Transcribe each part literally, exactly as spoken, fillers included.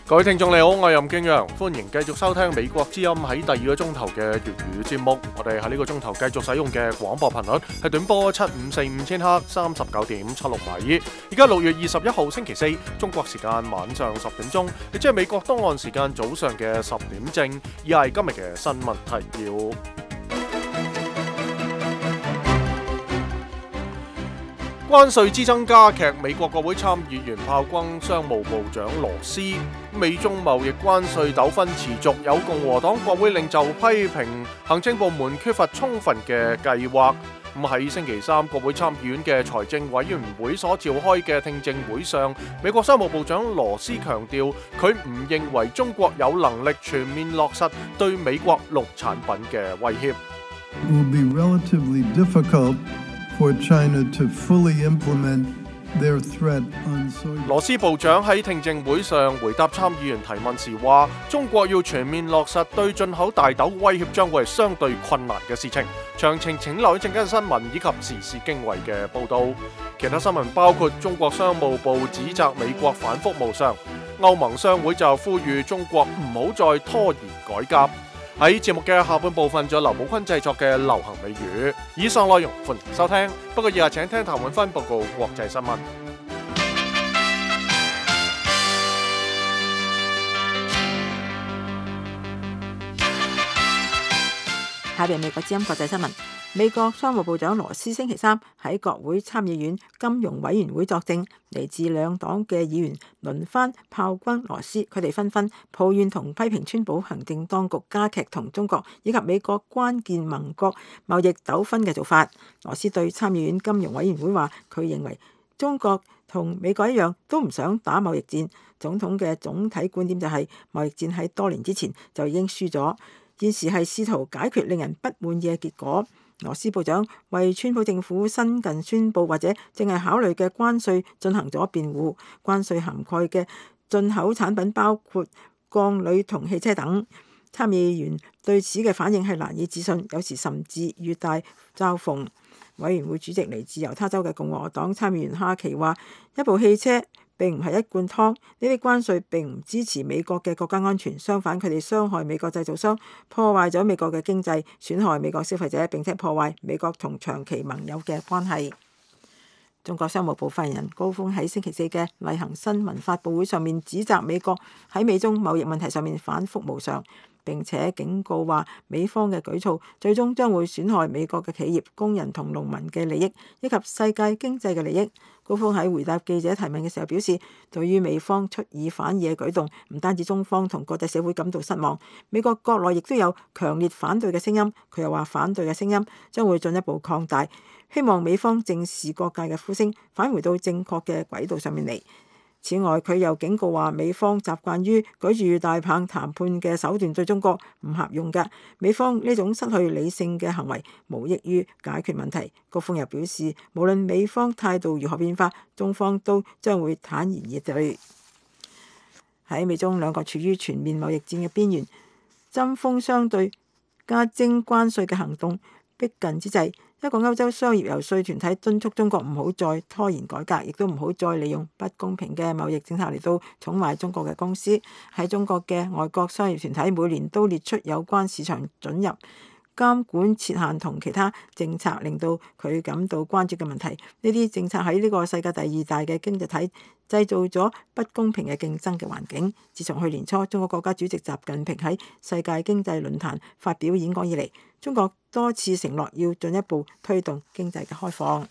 各位聽眾你好，我係任敬陽，歡迎繼續收聽美國之音喺第二個鐘頭嘅粵語節目。我哋喺呢個鐘頭繼續使用嘅廣播頻率係短波七五四五千赫，三十九點七六米。而家六月二十一號星期四，中國時間晚上十點鐘，亦即係美國東岸時間早上嘅十點正。以下係今日嘅新聞提要。關稅之爭加劇，美國國會參議員炮轟商務部長羅斯。美中貿易關稅糾紛持續，有共和黨國會領袖批評行政部門缺乏充分嘅計劃。咁喺星期三，國會參議院嘅財政委員會所召開嘅聽證會上，美國商務部長羅斯強調，佢唔認為中國有能力全面落實對美國農產品嘅威脅。Will be relatively difficult for China to fully implement their threat on soy. 羅斯部長喺聽證會上回答參議員提問時話，中國要全面落實對進口大豆威脅將會係相對困難嘅事情。詳情請留意陣間新聞以及時事經緯嘅報導。其他新聞包括中國商務部指責美國反覆無常，歐盟商會就呼籲中國唔好再拖延改革。喺節目嘅下半部分，仲有劉寶坤製作嘅流行美語。以上內容歡迎收聽，不過以下請聽譚永芬報告國際新聞。下邊美國之音國際新聞。美國商務部長羅斯星期三喺國會參議院金融委員會作證，嚟自兩黨嘅議員輪番炮轟羅斯，佢哋紛紛抱怨同批評川普行政當局加劇同中國以及美國關鍵盟國貿易糾紛嘅做法。羅斯對參議院金融委員會話，佢認為中國同美國一樣都唔想打貿易戰，總統嘅總體觀點就係貿易戰喺多年之前就已經輸咗，現時係試圖解決令人不滿意嘅結果。羅斯部長為川普政府新近宣布或者正係考慮嘅關稅進行咗辯護。關稅涵蓋嘅進口產品包括鋼鋁同汽車等。參議員對此嘅反應係難以置信，有時甚至與大嘲諷。委員會主席嚟自猶他州嘅共和黨參議員哈奇話：一部汽車並唔係一罐湯，呢啲關稅並唔支持美國嘅國家安全，相反佢哋傷害美國製造商，破壞咗美國嘅經濟，損害美國消費者，並且破壞美國同長期盟友嘅關係。中國商務部發言人高峰喺星期四嘅例行新聞發佈會上面指責美國喺美中貿易問題上面反覆無常，並且警告話美方嘅舉措最終將會損害美國嘅企業、工人同農民嘅利益，以及世界經濟嘅利益。高峰喺回答記者提問嘅時候表示，對於美方出爾反爾嘅舉動，唔單止中方同國際社會感到失望，美國國內亦都有強烈反對嘅聲音。佢又話反對嘅聲音將會進一步擴大，希望美方正視各界嘅呼聲，返回到正確嘅軌道上面嚟。此外，佢又警告話，美方習慣於舉住大棒談判嘅手段對中國唔合用㗎。美方呢種失去理性嘅行為，無益於解決問題。高峰又表示，無論美方態度如何變化，中方都將會坦然以對。喺美中兩國處於全面貿易戰嘅邊緣，針鋒相對加徵關稅嘅行動逼近之際，一個歐洲商業遊說團體敦促中國唔好再拖延改革，亦都唔好再利用不公平嘅貿易政策嚟到寵壞中國嘅公司。喺中國嘅外國商業團體每年都列出有關市場准入、監管設限同其他政策，令到佢感到關注嘅問題。呢啲政策喺呢個世界第二大嘅經濟體製造咗不公平嘅競爭嘅環境。自從去年初中國國家主席習近平喺世界經濟論壇發表演講以嚟，中國多次承諾要進一步推動經濟嘅開放。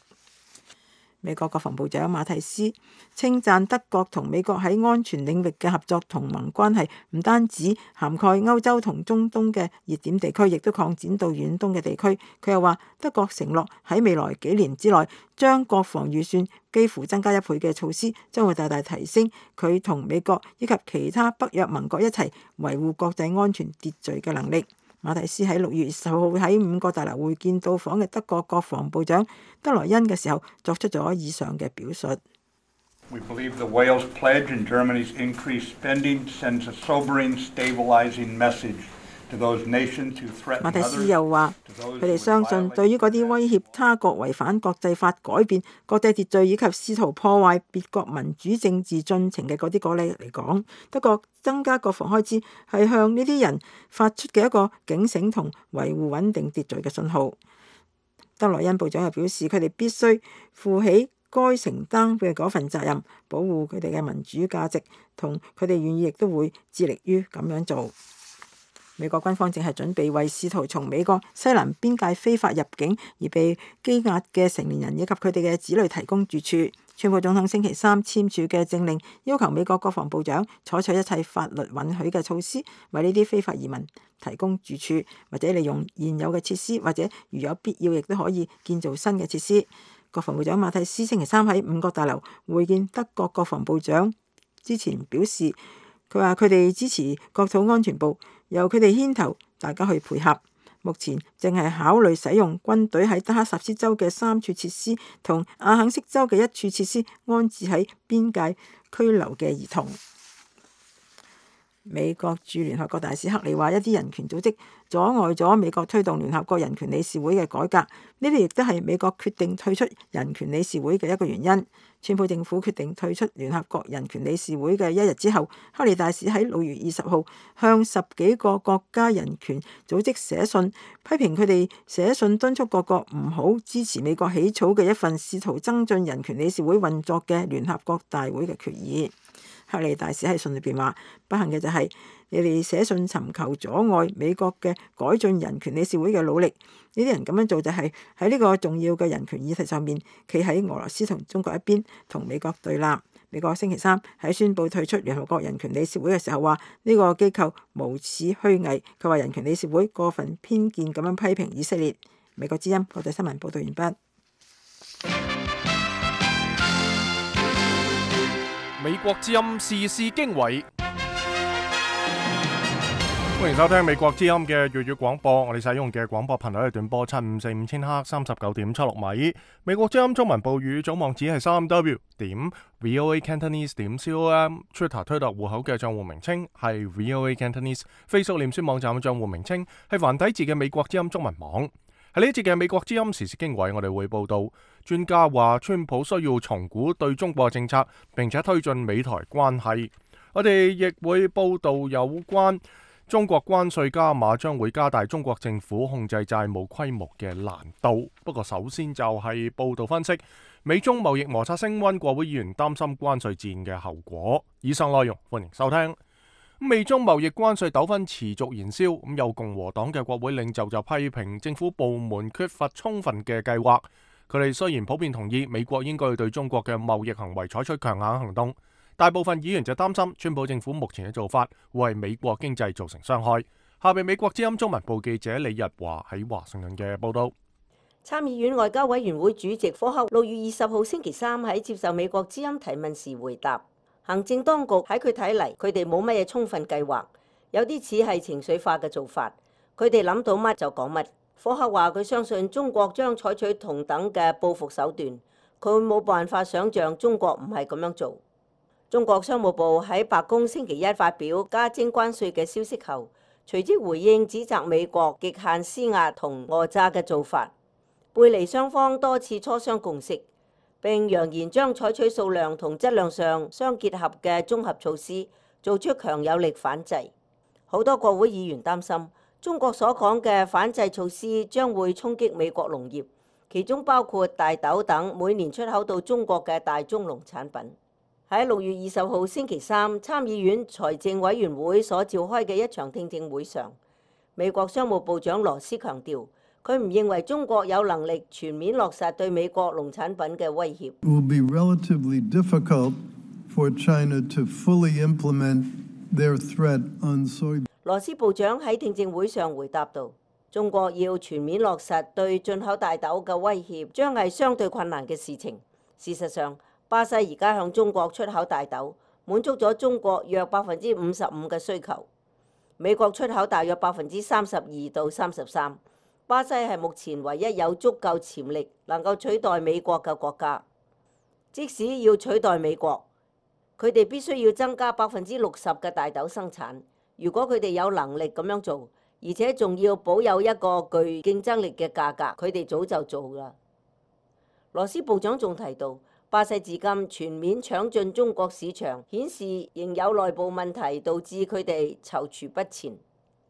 美國國防部長馬蒂斯稱讚德國同美國喺安全領域嘅合作同盟關係，唔單止涵蓋歐洲同中東嘅熱點地區，亦都擴展到遠東嘅地區。佢又話，德國承諾喺未來幾年之內將國防預算幾乎增加一倍嘅措施，將會大大提升佢同美國以及其他北約盟國一齊維護國際安全秩序嘅能力。馬蒂斯喺六月二十號喺五角大樓會見到訪嘅德國國防部長德萊恩嘅時候，作出咗以上嘅表述。We believe the Wales pledge and Germany's increased spending sends a sobering, stabilizing message to those nations who threaten others. 馬蒂斯又話，佢哋相信對於嗰啲威脅他國違反國際法、改變國際秩序以及試圖破壞別國民主政治進程嘅嗰啲國家嚟講，德國增加國防開支係向呢啲人發出嘅一個警醒同維護穩定秩序嘅信號。德萊恩部長又表示，佢哋必須負起該承擔嘅嗰份責任，保護佢哋嘅民主價值，同佢哋願意亦都會致力於咁樣做。美國軍方正係準備為試圖從美國西南邊界非法入境而被羈押嘅成年人以及佢哋嘅子女提供住處。川普總統星期三簽署嘅政令要求美國國防部長採取一切法律允許嘅措施，為呢啲非法移民提供住處，或者利用現有嘅設施，或者如有必要亦都可以建造新嘅設施。國防部長馬蒂斯星期三喺五角大樓會見德國國防部長之前表示，佢話佢哋支持國土安全部，由佢哋牽頭，大家去配合。目前正係考慮使用軍隊喺德克薩斯州嘅三處設施同阿肯色州嘅一處設施安置喺邊界拘留嘅兒童。美國駐聯合國大使克里話，一啲人權組織阻礙咗美國推動聯合國人權理事會嘅改革，呢啲亦都係美國決定退出人權理事會嘅一個原因。川普政府決定退出聯合國人權理事會嘅一日之後，克里大使喺六月二十號向十幾個國家人權組織寫信，批評佢哋寫信敦促各國唔好支持美國起草嘅一份試圖增進人權理事會運作嘅聯合國大會嘅決議。克里大使喺信裏邊話：不幸嘅就係你哋寫信尋求阻礙美國嘅改進人權理事會嘅努力。呢啲人咁樣做就係喺呢個重要嘅人權議題上面，企喺俄羅斯同中國一邊，同美國對立。美國星期三喺宣布退出聯合國人權理事會嘅時候話：呢個機構無恥虛偽。佢話人權理事會過分偏見咁樣批評以色列。美國之音國際新聞報道完畢。美國之音時事經緯，歡迎收聽美國之音嘅粵語廣播。我哋使用嘅廣播頻率係短波七五四五千赫三十九點七六米。美國之音中文報語總網址係三 w 點 voa cantonese 點 com。Twitter 推特戶口嘅賬戶名稱係 voa cantonese。Facebook 臉書網站嘅賬戶名稱係繁體字嘅美國之音中文網。喺呢一節嘅美國之音時事經緯，我哋會報道專家話川普需要重估對中國政策，並且推進美台關係。我哋亦會報道有關中國關稅加碼將會加大中國政府控制債務規模嘅難度。不過首先就係報道分析美中貿易摩擦升溫，國會議員擔心關稅戰嘅後果。以上內容歡迎收聽。美中貿易關稅糾紛持續燃燒，咁有共和黨嘅國會領袖就批評政府部門缺乏充分嘅計劃。佢哋雖然普遍同意美國應該對中國嘅貿易行為採取強硬行動，大部分議員就擔心川普政府目前嘅做法會為美國經濟造成傷害。下邊美國之音中文部記者李日華喺華盛頓嘅報道。參議院外交委員會主席科克六月二十號星期三喺接受美國之音提問時回答。行政當局喺佢睇嚟，佢哋冇乜嘢充分計劃，有啲似係情緒化嘅做法。佢哋諗到乜就講乜。科克話佢相信中國將採取同等嘅報復手段，佢冇辦法想像中國唔係咁樣做。中國商務部喺白宮星期一發表加徵關稅嘅消息後，隨即回應指責美國極限施壓同訛詐嘅做法，背離雙方多次磋商共識。並揚言將採取數量同質量上相結合嘅綜合措施，做出強有力反制。好多國會議員擔心，中國所講嘅反制措施將會衝擊美國農業，其中包括大豆等每年出口到中國嘅大宗農產品。喺六月二十號星期三，參議院財政委員會所召開嘅一場聽證會上，美國商務部長羅斯強調，佢唔認為中國有能力全面落實對美國農產品嘅威脅。It will be relatively difficult for China to fully implement their threat on soybeans. 羅斯部長喺聽證會上回答道：中國要全面落實對進口大豆嘅威脅，將係相對困難嘅事情。事實上，巴西而家向中國出口大豆，滿足咗中國約百分之五十五嘅需求。美國出口大約百分之三十二到三十三。巴西係目前唯一有足夠潛力能夠取代美國嘅國家。即使要取代美國，佢哋必須要增加百分之六十嘅大豆生產。如果佢哋有能力咁樣做，而且仲要保有一個具競爭力嘅價格，佢哋早就做啦。羅斯部長仲提到，巴西至今全面搶進中國市場，顯示仍有內部問題導致佢哋躊躇不前。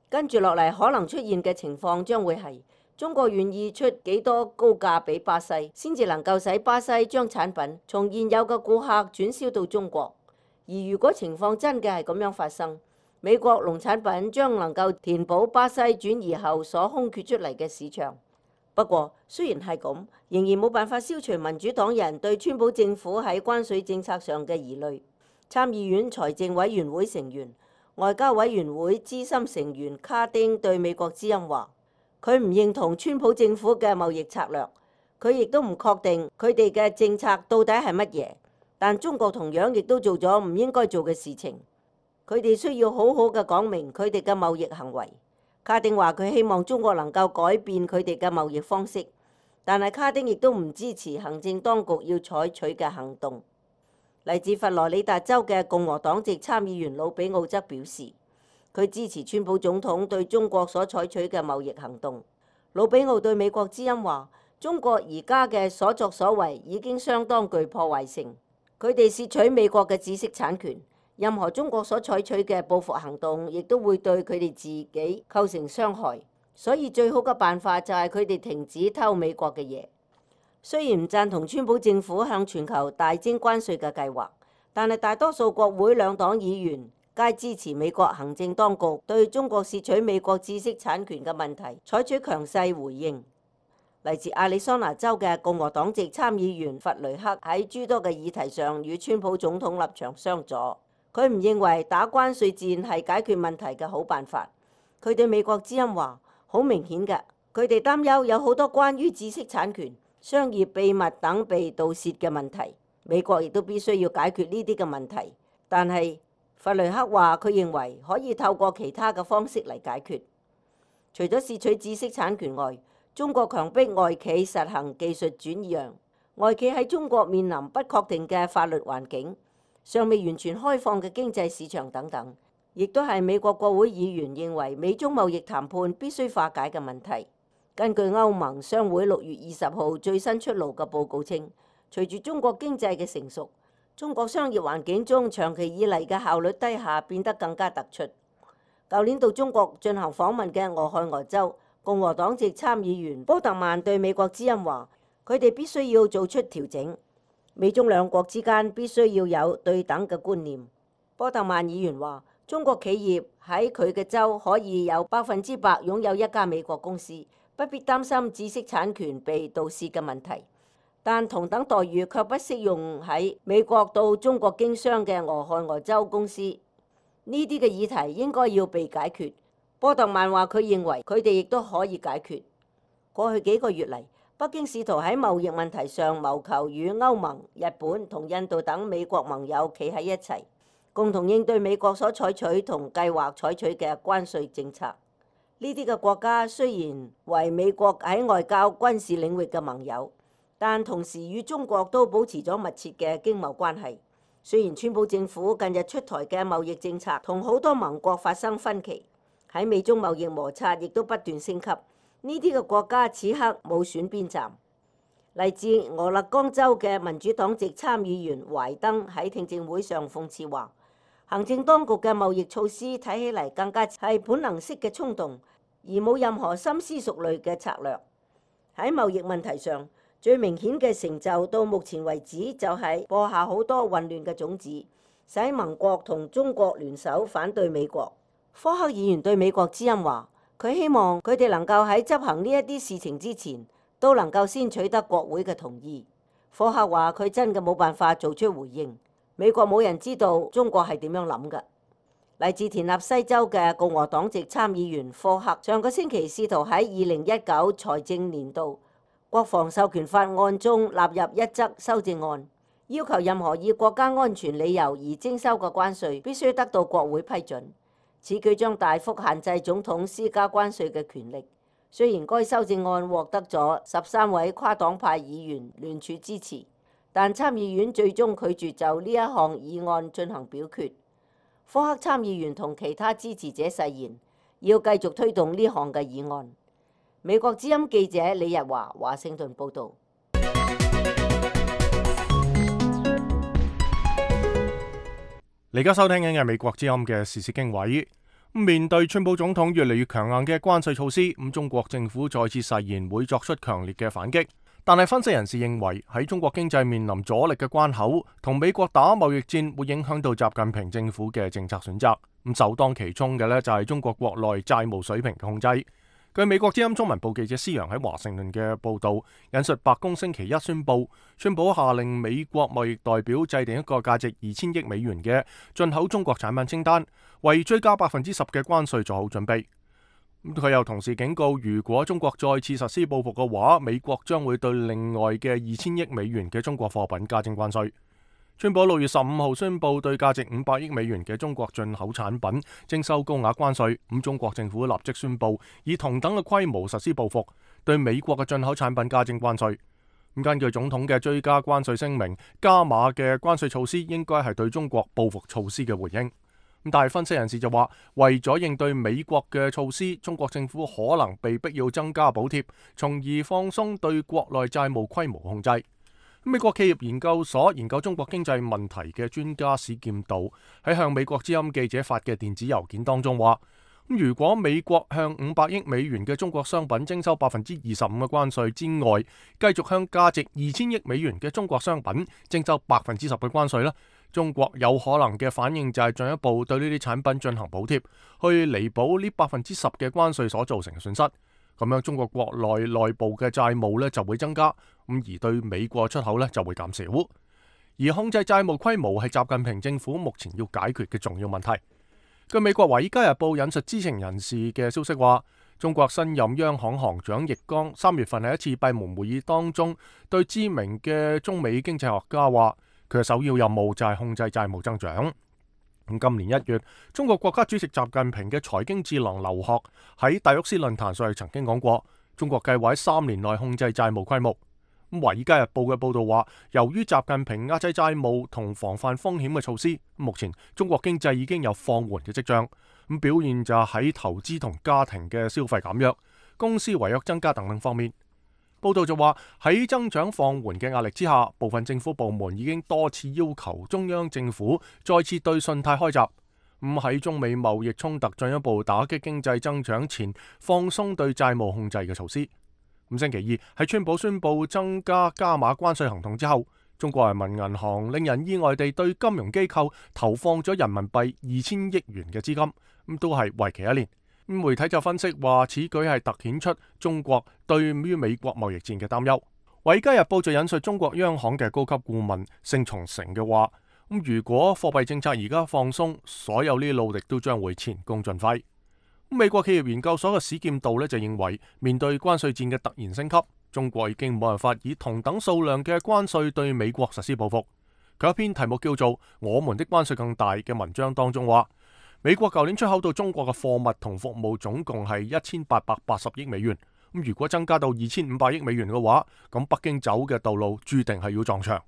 跟住落嚟可能出現嘅情況將會係中國願意出幾多高價俾巴西，先至能夠使巴西將產品從現有嘅顧客轉銷到中國。而如果情況真嘅係咁樣發生，美國農產品將能夠填補巴西轉移後所空缺出嚟嘅市場。不過，雖然係咁，仍然冇辦法消除民主黨人對川普政府喺關稅政策上嘅疑慮。參議院財政委員會成員、外交委員會資深成員卡丁對美國之音話：佢唔認同川普政府嘅貿易策略，佢亦都唔確定佢哋嘅政策到底係乜嘢。但中國同樣亦都做咗唔應該做嘅事情，佢哋需要好好嘅講明佢哋嘅貿易行為。卡丁話佢希望中國能夠改變佢哋嘅貿易方式，但係卡丁亦都唔支持行政當局要採取嘅行動。嚟自佛羅里達州嘅共和黨籍參議員魯比奧則表示，佢支持川普總統對中國所採取嘅貿易行動。魯比奧對美國之音話：中國而家嘅所作所為已經相當具破壞性，佢哋竊取美國嘅知識產權。任何中國所採取嘅報復行動，亦都會對佢哋自己構成傷害。所以最好嘅辦法就係佢哋停止偷美國嘅嘢。雖然唔贊同川普政府向全球大徵關稅嘅計劃，但係大多數國會兩黨議員皆支持美國行政當局對中國竊取美國知識產權嘅問題採取強勢回應。嚟自亞利桑那州嘅共和黨籍參議員弗雷克喺諸多嘅議題上與川普總統立場相左。佢唔認為打關稅戰係解決問題嘅好辦法。佢對美國之音話：好明顯嘅，佢哋擔憂有好多關於知識產權、商業秘密等被盜竊嘅問題。美國亦都必須要解決呢啲嘅問題。但係弗雷克話佢認為可以透過其他嘅方式嚟解決。除咗竊取知識產權外，中國強迫外企實行技術轉讓，外企喺中國面臨不確定嘅法律環境，尚未完全開放嘅經濟市場等等，亦都係美國國會議員認為美中貿易談判必須化解嘅問題。根據歐盟商會六月二十號最新出爐嘅報告稱，隨住中國經濟嘅成熟，中國商業環境中長期以嚟嘅效率低下變得更加突出。舊年到中國進行訪問嘅俄亥俄州共和黨籍參議員波特曼對美國之音話：佢哋必須要做出調整。美中兩國之間必須要有對等嘅觀念。波特曼議員話：中國企業喺佢嘅州可以有百分之百擁有一家美國公司，不必擔心知識產權被盜竊嘅問題。但同等待遇卻不適用喺美國到中國經商嘅俄亥俄州公司。呢啲嘅議題應該要被解決。波特曼話佢認為佢哋亦都可以解決。過去幾個月嚟，北京試圖喺貿易問題上謀求與歐盟、日本同印度等美國盟友企喺一齊，共同應對美國所採取同計劃採取嘅關稅政策。呢啲嘅國家雖然為美國喺外交、軍事領域嘅盟友，但同時與中國都保持咗密切嘅經貿關係。雖然川普政府近日出台嘅貿易政策同好多盟國發生分歧，喺美中貿易摩擦亦都不斷升級。呢啲嘅國家此刻冇選邊站。嚟自俄勒岡州嘅民主黨籍參議員懷登喺聽證會上諷刺話：行政當局嘅貿易措施睇起嚟更加係本能式嘅衝動，而冇任何深思熟慮嘅策略。喺貿易問題上，最明顯嘅成就到目前為止就係播下好多混亂嘅種子，使盟國同中國聯手反對美國。科克議員對美國之音話：佢希望佢哋能夠喺執行呢一啲事情之前，都能夠先取得國會嘅同意。科克話佢真嘅冇辦法做出回應。美國冇人知道中國係點樣諗嘅。嚟自田納西州嘅共和黨籍參議員科克上個星期試圖喺二零一九財政年度國防授權法案中納入一則修正案，要求任何以國家安全理由而徵收嘅關稅必須得到國會批准。此舉將大幅限制總統施加關稅嘅權力。雖然該修正案獲得咗十三位跨黨派議員聯署支持，但參議院最終拒絕就呢一項議案進行表決。科克參議員同其他支持者誓言要繼續推動呢項嘅議案。美國之音記者李日華華盛頓報導。你而家收聽緊嘅美國之音嘅時事經緯。面對川普總統越嚟越強硬嘅關稅措施，咁中國政府再次誓言會作出強烈嘅反擊。但係分析人士認為，喺中國經濟面臨阻力嘅關口，同美國打貿易戰會影響到習近平政府嘅政策選擇。咁首當其衝嘅呢，就係中國國內債務水平嘅控制。據美國之音中文部記者施洋喺華盛頓嘅報導，引述白宮星期一宣布，川普下令美國貿易代表制定一個價值二千億美元嘅進口中國產品清單，為追加百分之十嘅關稅做好準備。佢又同時警告，如果中國再次實施報復嘅話，美國將會對另外嘅二千億美元嘅中國貨品加徵關稅。川普六月十五號宣布對價值五百億美元嘅中國進口產品徵收高額關稅，咁中國政府立即宣布以同等嘅規模實施報復，對美國嘅進口產品加徵關稅。咁根據總統嘅追加關稅聲明，加碼嘅關稅措施應該係對中國報復措施嘅回應。咁但係分析人士就話，為咗應對美國嘅措施，中國政府可能被逼要增加補貼，從而放鬆對國內債務規模控制。美國企業研究所研究中國經濟問題嘅專家史劍道喺向美國之音記者發嘅電子郵件當中話，如果美國向五百億美元嘅中國商品徵收百分之二十五嘅關稅之外，繼續向價值二千億美元嘅中國商品徵收百分之十嘅關稅咧，中國有可能嘅反應就係進一步對呢啲產品進行補貼，去彌補呢百分之十嘅關稅所造成嘅損失。咁樣中國國內內部嘅債務咧就會增加，咁而對美國出口咧就會減少。而控制債務規模係習近平政府目前要解決嘅重要問題。據美國《華爾街日報》引述知情人士嘅消息話，中國新任央行行長易綱三月份喺一次閉門會議當中，對知名嘅中美經濟學家話，佢嘅首要任務就係控制債務增長。咁今年一月，中國國家主席習近平嘅財經智囊劉鶴喺戴沃斯論壇上曾經講過，中國計劃喺三年內控制債務規模。咁《華爾街日報》嘅報道話，由於習近平壓制債務同防範風險嘅措施，目前中國經濟已經有放緩嘅跡象。咁表現就喺投資同家庭嘅消費減弱、公司違約增加等等方面。報道就話，喺增長放緩嘅壓力之下，部分政府部門已經多次要求中央政府再次對信貸開閘，咁喺中美貿易衝突進一步打擊經濟增長前，放鬆對債務控制嘅措施。咁星期二喺川普宣布增加加碼關稅行動之後，中國人民銀行令人意外地對金融機構投放咗人民幣二千億元嘅資金，咁都係為期一年。媒體就分析話，此舉係突顯出中國對於美國貿易戰嘅擔憂。《華爾街日報》就引述中國央行嘅高級顧問盛松成嘅話，咁如果貨幣政策而家放鬆，所有呢啲努力都將會前功盡廢。美國企業研究所嘅史劍道呢就認為，面對關稅戰嘅突然升級，中國已經冇辦法以同等數量嘅關稅對美國實施報復。佢一篇題目叫做《我們的關稅更大》嘅文章當中話，美國舊年出口到中國嘅貨物同服務總共係一千八百八十億美元。咁如果增加到二千五百億美元嘅話，咁北京走嘅道路注定係要撞牆。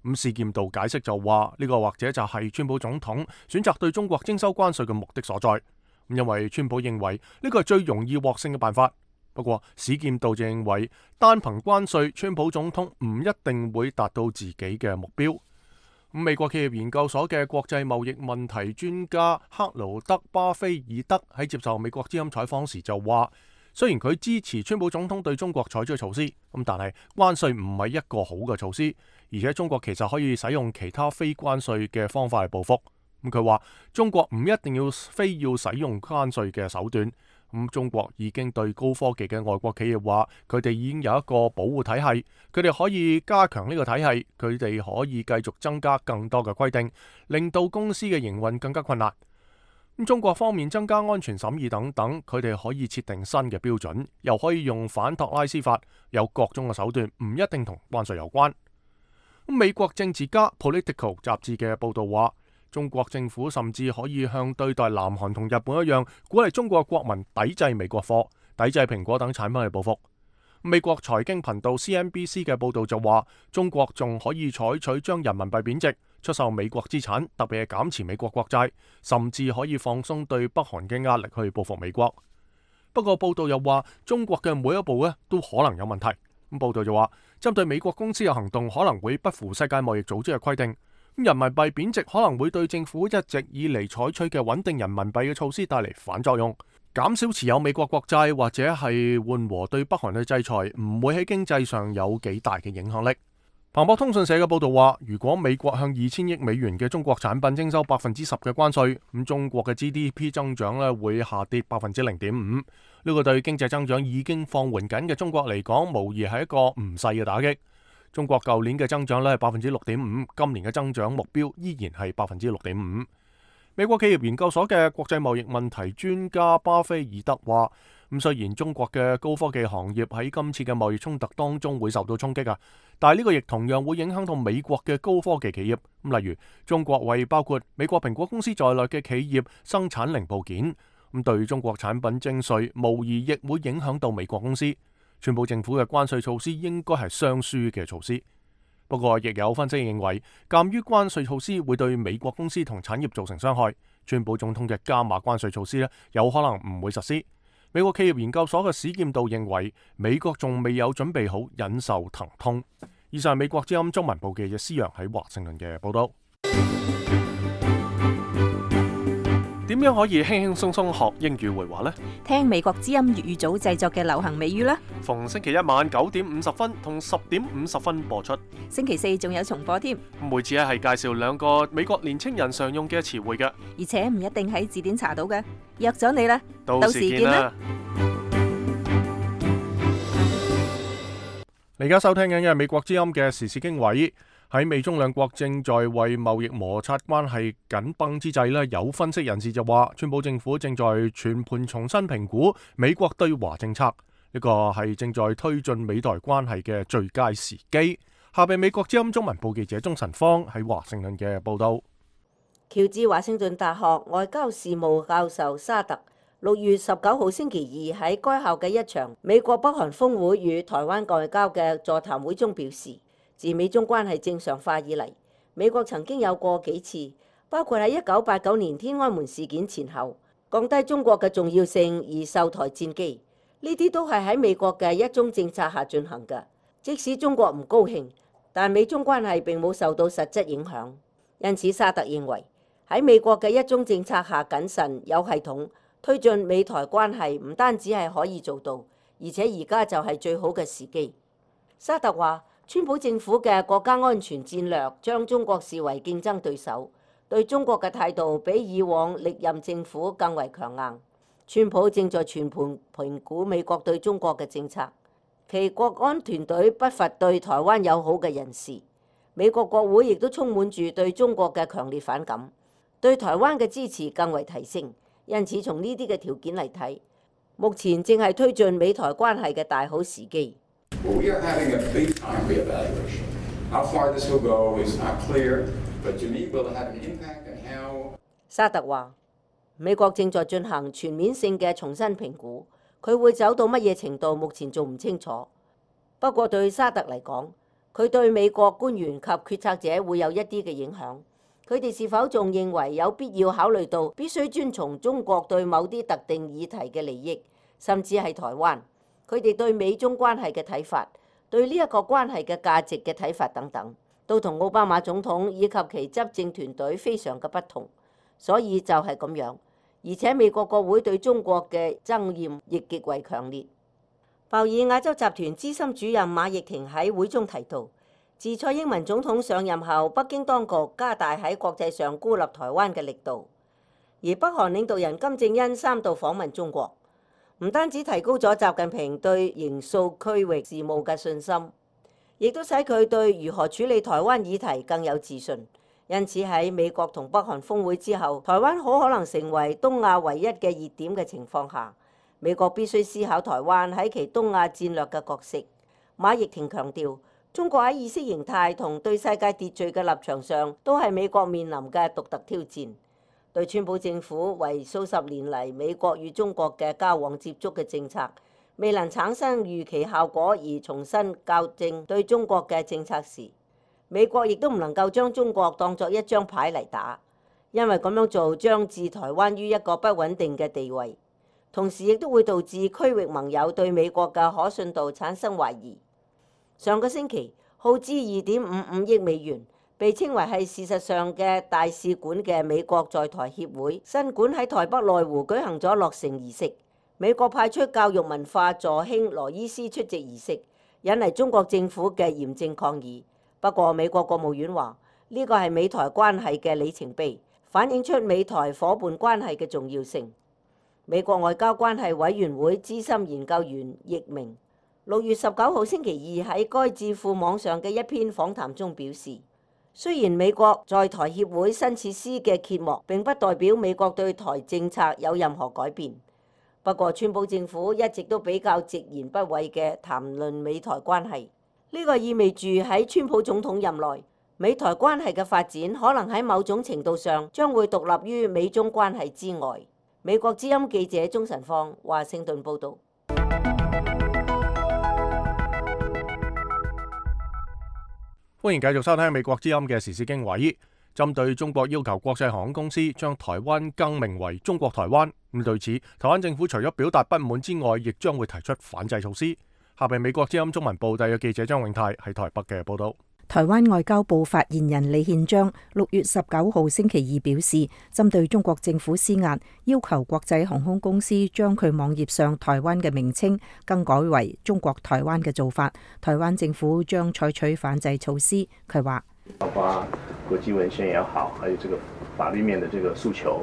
咁史劍道解釋就話，呢個或者就係川普總統選擇對中國徵收關稅嘅目的所在。因為川普認為呢個係最容易獲勝嘅辦法。不過史劍道就認為，單憑關稅，川普總統唔一定會達到自己嘅目標。美國企業研究所嘅國際貿易問題專家克勞德巴菲爾德喺接受美國之音採訪時就話，雖然佢支持川普總統對中國採取措施，咁但係關稅唔係一個好嘅措施，而且中國其實可以使用其他非關稅嘅方法嚟報復。咁佢話中國唔一定要非要使用關稅嘅手段。咁中國已經對高科技嘅外國企業話，佢哋已經有一個保護體系，佢哋可以加強呢個體系，佢哋可以繼續增加更多嘅規定，令到公司嘅營運更加困難。咁中國方面增加安全審議等等，佢哋可以設定新嘅標準，又可以用反托拉斯法，有各種嘅手段，唔一定同關稅有關。咁美國政治家 Political 雜誌嘅報道話，中國政府甚至可以向對待南韓同日本一樣，鼓勵中國國民抵制美國貨、抵制蘋果等產品去報復。美國財經頻道 C N B C 嘅報道就話，中國仲可以採取將人民幣貶值、出售美國資產，特別係減持美國國債，甚至可以放鬆對北韓嘅壓力去報復美國。不過報道又話，中國嘅每一步咧都可能有問題。咁報道就話，針對美國公司嘅行動可能會不符世界貿易組織嘅規定。人民幣貶值可能會對政府一直以嚟採取嘅穩定人民幣嘅措施帶嚟反作用，減少持有美國國債或者係緩和對北韓嘅制裁，唔會喺經濟上有幾大嘅影響力。彭博通訊社嘅報導話，如果美國向二千億美元嘅中國產品徵收百分之十嘅關稅，咁中國嘅 G D P 增長咧會下跌百分之零點五。呢個對經濟增長已經放緩緊嘅中國嚟講，無疑係一個唔細嘅打擊。中國舊年嘅增長咧係百分之六點五，今年嘅增長目標依然係百分之六點五。美國企業研究所嘅國際貿易問題專家巴菲爾德話，咁雖然中國嘅高科技行業喺今次嘅貿易衝突當中會受到衝擊啊，但係呢個亦同樣會影響到美國嘅高科技企業。咁例如中國為包括美國蘋果公司在內嘅企業生產零部件，咁對中國產品徵稅，無疑亦會影響到美國公司。川普政府嘅關稅措施應該係雙輸嘅措施。不過，亦有分析認為，鑑於關稅措施會對美國公司同產業造成傷害，川普總統嘅加碼關稅措施咧，有可能唔會實施。美國企業研究所嘅史劍道認為，美國仲未有準備好忍受疼痛。以上係美國之音中文部記者施洋喺華盛頓嘅報道。點樣可以輕輕鬆鬆學英語會話呢？聽美國之音粵語組製作嘅流行美語啦。逢星期一晚九點五十分同十點五十分播出。星期四仲有重播添。每次咧係介紹兩個美國年青人常用嘅詞彙嘅，而且唔一定喺字典查到嘅。約咗你啦，到時見啦。你而家收聽緊嘅係美國之音嘅時事經緯。喺美中兩國正在為貿易摩擦關係緊繃之際咧，有分析人士就話，川普政府正在全盤重新評估美國對華政策，呢個係正在推進美台關係嘅最佳時機。下邊美國之音中文部記者鍾晨芳喺華盛頓嘅報道。喬治華盛頓大學外交事務教授沙特六月十九號星期二喺該校嘅一場美國北韓峰會與台灣外交嘅座談會中表示，自美中關係正常化以嚟，美國曾經有過幾次，包括喺一九八九年天安門事件前後，降低中國嘅重要性而售台戰機，呢啲都係喺美國嘅一中政策下進行嘅。即使中國唔高興，但美中關係並冇受到實質影響。因此，沙特認為喺美國嘅一中政策下謹慎有系統推進美台關係，唔單止係可以做到，而且而家就係最好嘅時機。沙特話，川普政府嘅國家安全戰略將中國視為競爭對手，對中國嘅態度比以往歷任政府更為強硬。川普正在全盤評估美國對中國嘅政策，其國安團隊不乏對台灣友好嘅人士。美國國會亦都充滿住對中國嘅強烈反感，對台灣嘅支持更為提升。因此，從呢啲嘅條件嚟睇，目前正係推進美台關係嘅大好時機。Well, we are having a big-time reevaluation. How far this will go is not clear, but to me, will it have an impact on how? 沙特話，美國正在進行全面性嘅重新評估，佢會走到乜嘢程度，目前仲唔清楚。不過對沙特嚟講，佢對美國官員及決策者會有一啲嘅影響。佢哋是否仲認為有必要考慮到必須遵從中國對某啲特定議題嘅利益，甚至係台灣？佢哋對美中關係嘅睇法，對呢一個關係嘅價值嘅睇法等等，都同奧巴馬總統以及其執政團隊非常嘅不同。所以就係咁樣，而且美國國會對中國嘅憎厭亦極為強烈。鮑爾亞洲集團資深主任馬奕婷喺會中提到，自蔡英文總統上任後，北京當局加大喺國際上孤立台灣嘅力度，而北韓領導人金正恩三度訪問中國，唔單止提高咗習近平對形塑區域事務嘅信心，亦都使佢對如何處理台灣議題更有自信。因此喺美國同北韓峰會之後，台灣好可能成為東亞唯一嘅熱點嘅情況下，美國必須思考台灣喺其東亞戰略嘅角色。馬奕婷強調，中國喺意識形態同對世界秩序嘅立場上，都係美國面臨嘅獨特挑戰。對川普政府為數十年嚟美國與中國嘅交往接觸嘅政策未能產生預期效果而重新校正對中國嘅政策時，美國亦都唔能夠將中國當作一張牌嚟打，因為咁樣做將置台灣於一個不穩定嘅地位，同時亦都會導致區域盟友對美國嘅可信度產生懷疑。上個星期耗資二點五五億美元被稱為係事實上嘅大使館嘅美國在台協會新館喺台北內湖舉行咗落成儀式，美國派出教育文化助卿羅伊斯出席儀式，引嚟中國政府嘅嚴正抗議。不過美國國務院話呢個係美台關係嘅里程碑，反映出美台夥伴關係嘅重要性。美國外交關係委員會資深研究員易明六月十九號星期二喺該智庫網上嘅一篇訪談中表示，雖然美國在台協會新設施嘅揭幕並不代表美國對台政策有任何改變，不過川普政府一直都比較直言不諱嘅談論美台關係。呢個意味住喺川普總統任內，美台關係嘅發展可能喺某種程度上將會獨立於美中關係之外。美國之音記者鍾晨芳華盛頓報導。歡迎繼續收聽美國之音嘅時事經緯。針對中國要求國際航空公司將台灣更名為中國台灣，咁對此，台灣政府除咗表達不滿之外，亦將會提出反制措施。下邊美國之音中文部特約記者張永泰喺台北嘅報道。台灣外交部發言人李憲章六月十九號星期二表示，針對中國政府施壓，要求國際航空公司將佢網頁上台灣嘅名稱更改為中國台灣嘅做法，台灣政府將採取反制措施。佢話，包括國際文獻也好，還有這個法律面的這個訴求，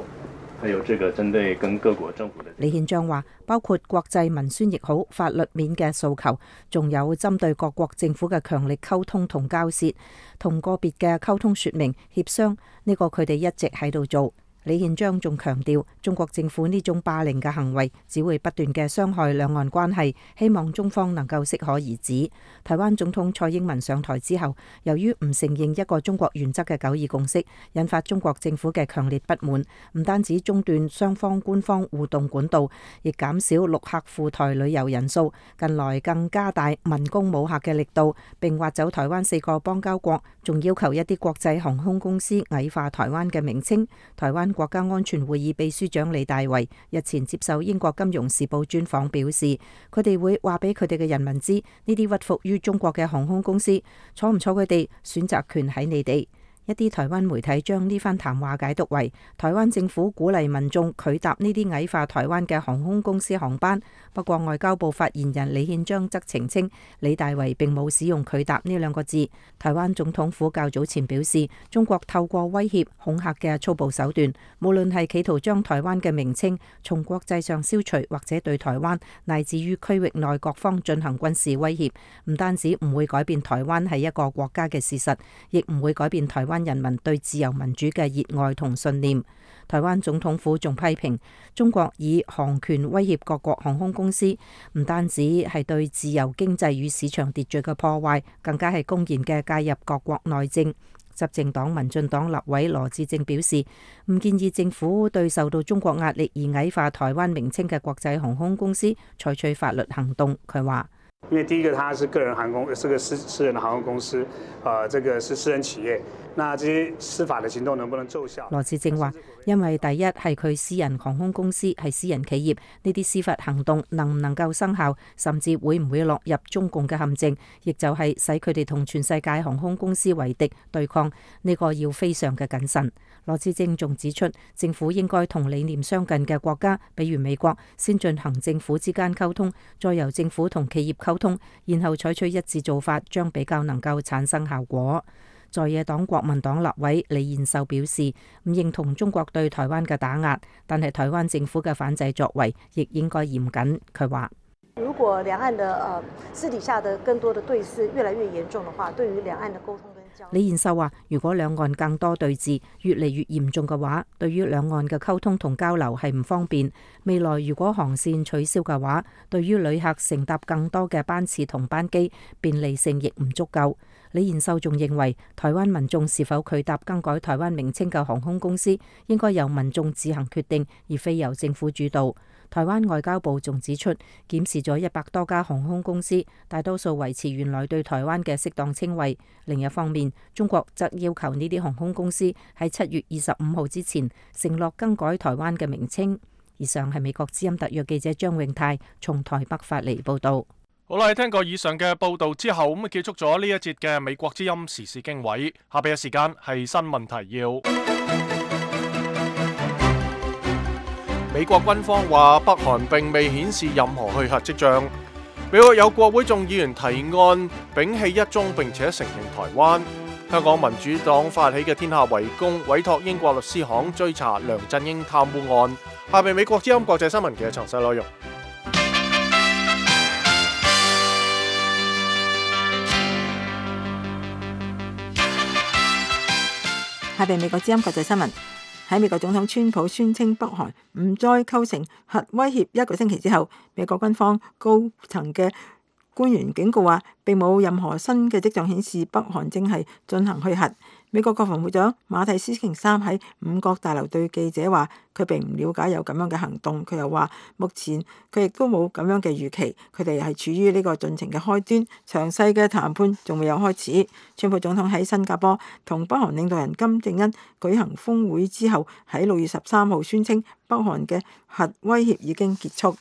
還有這個針對跟各國政府的。李憲章話，包括國際文宣亦好，法律面嘅訴求，仲有針對各國政府嘅強力溝通同交涉，同個別嘅溝通說明協商，呢個佢哋一直喺度做。李憲章仲強調，中國政府呢種霸凌嘅行為只會不斷嘅傷害兩岸關係，希望中方能夠適可而止。台灣總統蔡英文上台之後，由於唔承認一個中國原則嘅九二共識，引發中國政府嘅強烈不滿，唔單止中斷雙方官方互動管道，亦減少陸客赴台旅遊人數，近來更加大文攻武嚇嘅力度，並挖走台灣四個邦交國，仲要求一啲國際航空公司矮化台灣嘅名稱。台灣國家安全會議秘書長李大維日前接受英國金融時報專訪表示，佢哋會話俾佢哋嘅人民知，呢啲屈服於中國嘅航空公司坐唔坐佢哋，選擇權喺你哋。一啲台灣媒體將呢番談話解讀為台灣政府鼓勵民眾拒搭呢啲矮化台灣嘅航空公司航班。不過外交部發言人李憲章則澄清，李大維並冇使用拒搭呢兩個字。台灣總統府較早前表示，中國透過威脅恐嚇嘅粗暴手段，無論係企圖將台灣嘅名稱從國際上消除，或者對台灣乃至於區域內各方進行軍事威脅，唔單止唔會改變台灣係一個國家嘅事實，亦唔會改變台灣人民對自由民主嘅熱愛同信念。台灣總統府仲批評中國以航權威脅各國航空公司，唔單止係對自由經濟與市場秩序嘅破壞，更加係公然嘅介入各國內政。執政黨民進黨立委羅致政表示，唔建議政府對受到中國壓力而矮化台灣名稱嘅國際航空公司採取法律行動。佢話，因為第一個，它是個人航空，是個私私人的航空公司，啊、呃，這個是私人企業，那這些司法的行動能不能奏效？羅致政話，因為第一係佢私人航空公司係私人企業，呢啲司法行動能唔能夠生效，甚至會唔會落入中共嘅陷阱，亦就係使佢哋同全世界航空公司為敵對抗，呢個要非常嘅謹慎。羅致政仲指出，政府應該同理念相近嘅國家，比如美國，先進行政府之間溝通，再由政府同企業溝通，然後採取一致做法，將比較能夠產生效果。在野黨國民黨立委李彥秀表示，唔認同中國對台灣嘅打壓，但係台灣政府嘅反制作為亦應該嚴謹。佢話，如果兩岸的呃私底下的更多的對峙越來越嚴重的話，對於兩岸的溝通跟交流。李彥秀話，如果兩岸更多對峙越嚟越嚴重嘅話，對於兩岸嘅溝通同交流係唔方便。未來如果航線取消嘅話，對於旅客乘搭更多嘅班次同班機，便利性亦唔足夠。李彥秀仲認為，台灣民眾是否拒搭更改台灣名稱嘅航空公司，應該由民眾自行決定，而非由政府主導。台灣外交部仲指出，檢視咗一百多家航空公司，大多數維持原來對台灣嘅適當稱謂。另一方面，中國則要求呢啲航空公司喺七月二十五號之前承諾更改台灣嘅名稱。以上係美國之音特約記者張永泰從台北發嚟報道。好啦，聽過以上嘅報道之後，咁結束咗呢一節嘅美國之音時事經緯。下邊嘅時間係新聞提要。美國軍方話北韓並未顯示任何去核跡象。美國有國會眾議員提案摒棄一中並且承認台灣。香港民主黨發起嘅天下圍攻，委託英國律師行追查梁振英貪污案。下邊美國之音國際新聞嘅詳細內容。下邊美國之音國際新聞。喺美國總統川普宣稱北韓唔再構成核威脅一個星期之後，美國軍方高層嘅官員警告話，並冇任何新嘅跡象顯示北韓正係進行去核。美國國防部長馬蒂斯星期三喺五角大樓對記者話，佢並唔了解有咁樣嘅行動。佢又話，目前佢亦都冇咁樣嘅預期，佢哋係處於呢個進程嘅開端，詳細嘅談判仲未有開始。川普總統喺新加坡同北韓領導人金正恩舉行峰會之後，喺六月十三號宣稱北韓嘅核威脅已經結束。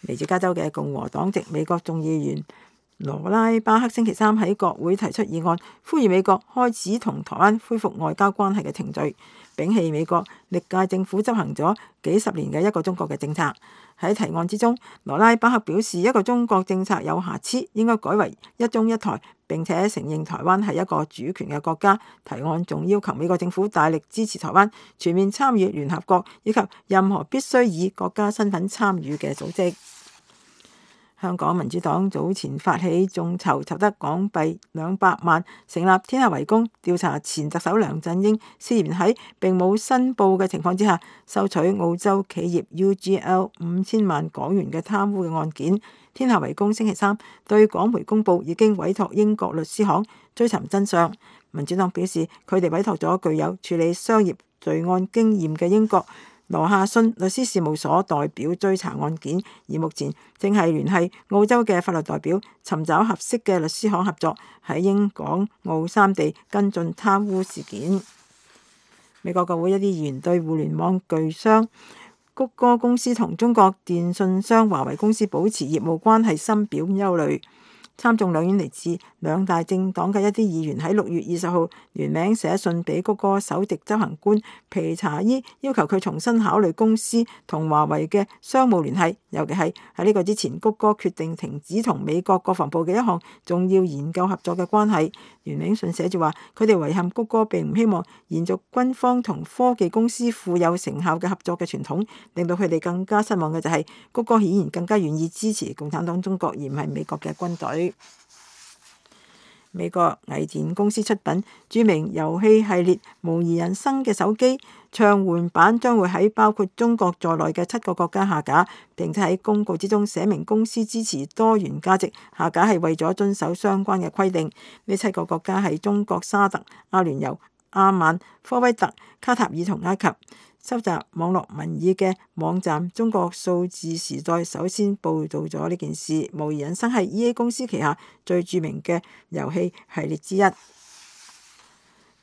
嚟自加州嘅共和黨籍美國眾議員羅拉巴克星期三喺國會提出議案，呼籲美國開始同台灣恢復外交關係嘅程序，摒棄美國歷屆政府執行咗幾十年嘅一個中國嘅政策。喺提案之中，羅拉巴克表示一個中國政策有瑕疵，應該改為一中一台，並且承認台灣係一個主權嘅國家。提案仲要求美國政府大力支持台灣全面參與聯合國以及任何必須以國家身份參與嘅組織。香港民主黨早前發起眾籌，籌得港幣兩百萬，成立天下圍攻，調查前特首梁振英涉嫌喺並冇申報嘅情況之下，收取澳洲企業 U G L 五千萬港元嘅貪污嘅案件。天下圍攻星期三對港媒公佈，已經委託英國律師行追尋真相。民主黨表示，佢哋委託咗具有處理商業罪案經驗嘅英國羅夏遜律師事務所代表追查案件，而目前正係聯繫澳洲嘅法律代表，尋找合適嘅律師行合作，喺英港澳三地跟進貪污事件。美國國會一啲議員對互聯網巨商谷歌公司同中國電信商華為公司保持業務關係深表憂慮。參眾兩院嚟自兩大政黨嘅一啲議員喺六月二十號聯名寫信俾谷歌首席執行官皮查伊，要求佢重新考慮公司同華為嘅商務聯繫，尤其係喺呢個之前，谷歌決定停止同美國國防部嘅一項重要研究合作嘅關係。聯名信寫住話，佢哋遺憾谷歌並唔希望延續軍方同科技公司富有成效嘅合作嘅傳統，令到佢哋更加失望嘅就係谷歌顯然更加願意支持共產黨中國，而唔係美國嘅軍隊。美國藝電公司出品著名遊戲系列《模擬人生》嘅手機暢玩版將會喺包括中國在內嘅七個國家下架，並且喺公告之中寫明公司支持多元價值，下架係為咗遵守相關嘅規定。呢七個國家係中國沙特、阿聯酋、阿曼、科威特、卡塔爾同埃及。收集網絡民意嘅網站中國數字時代首先報導咗呢件事。模擬人生係 E A 公司旗下最著名嘅遊戲系列之一。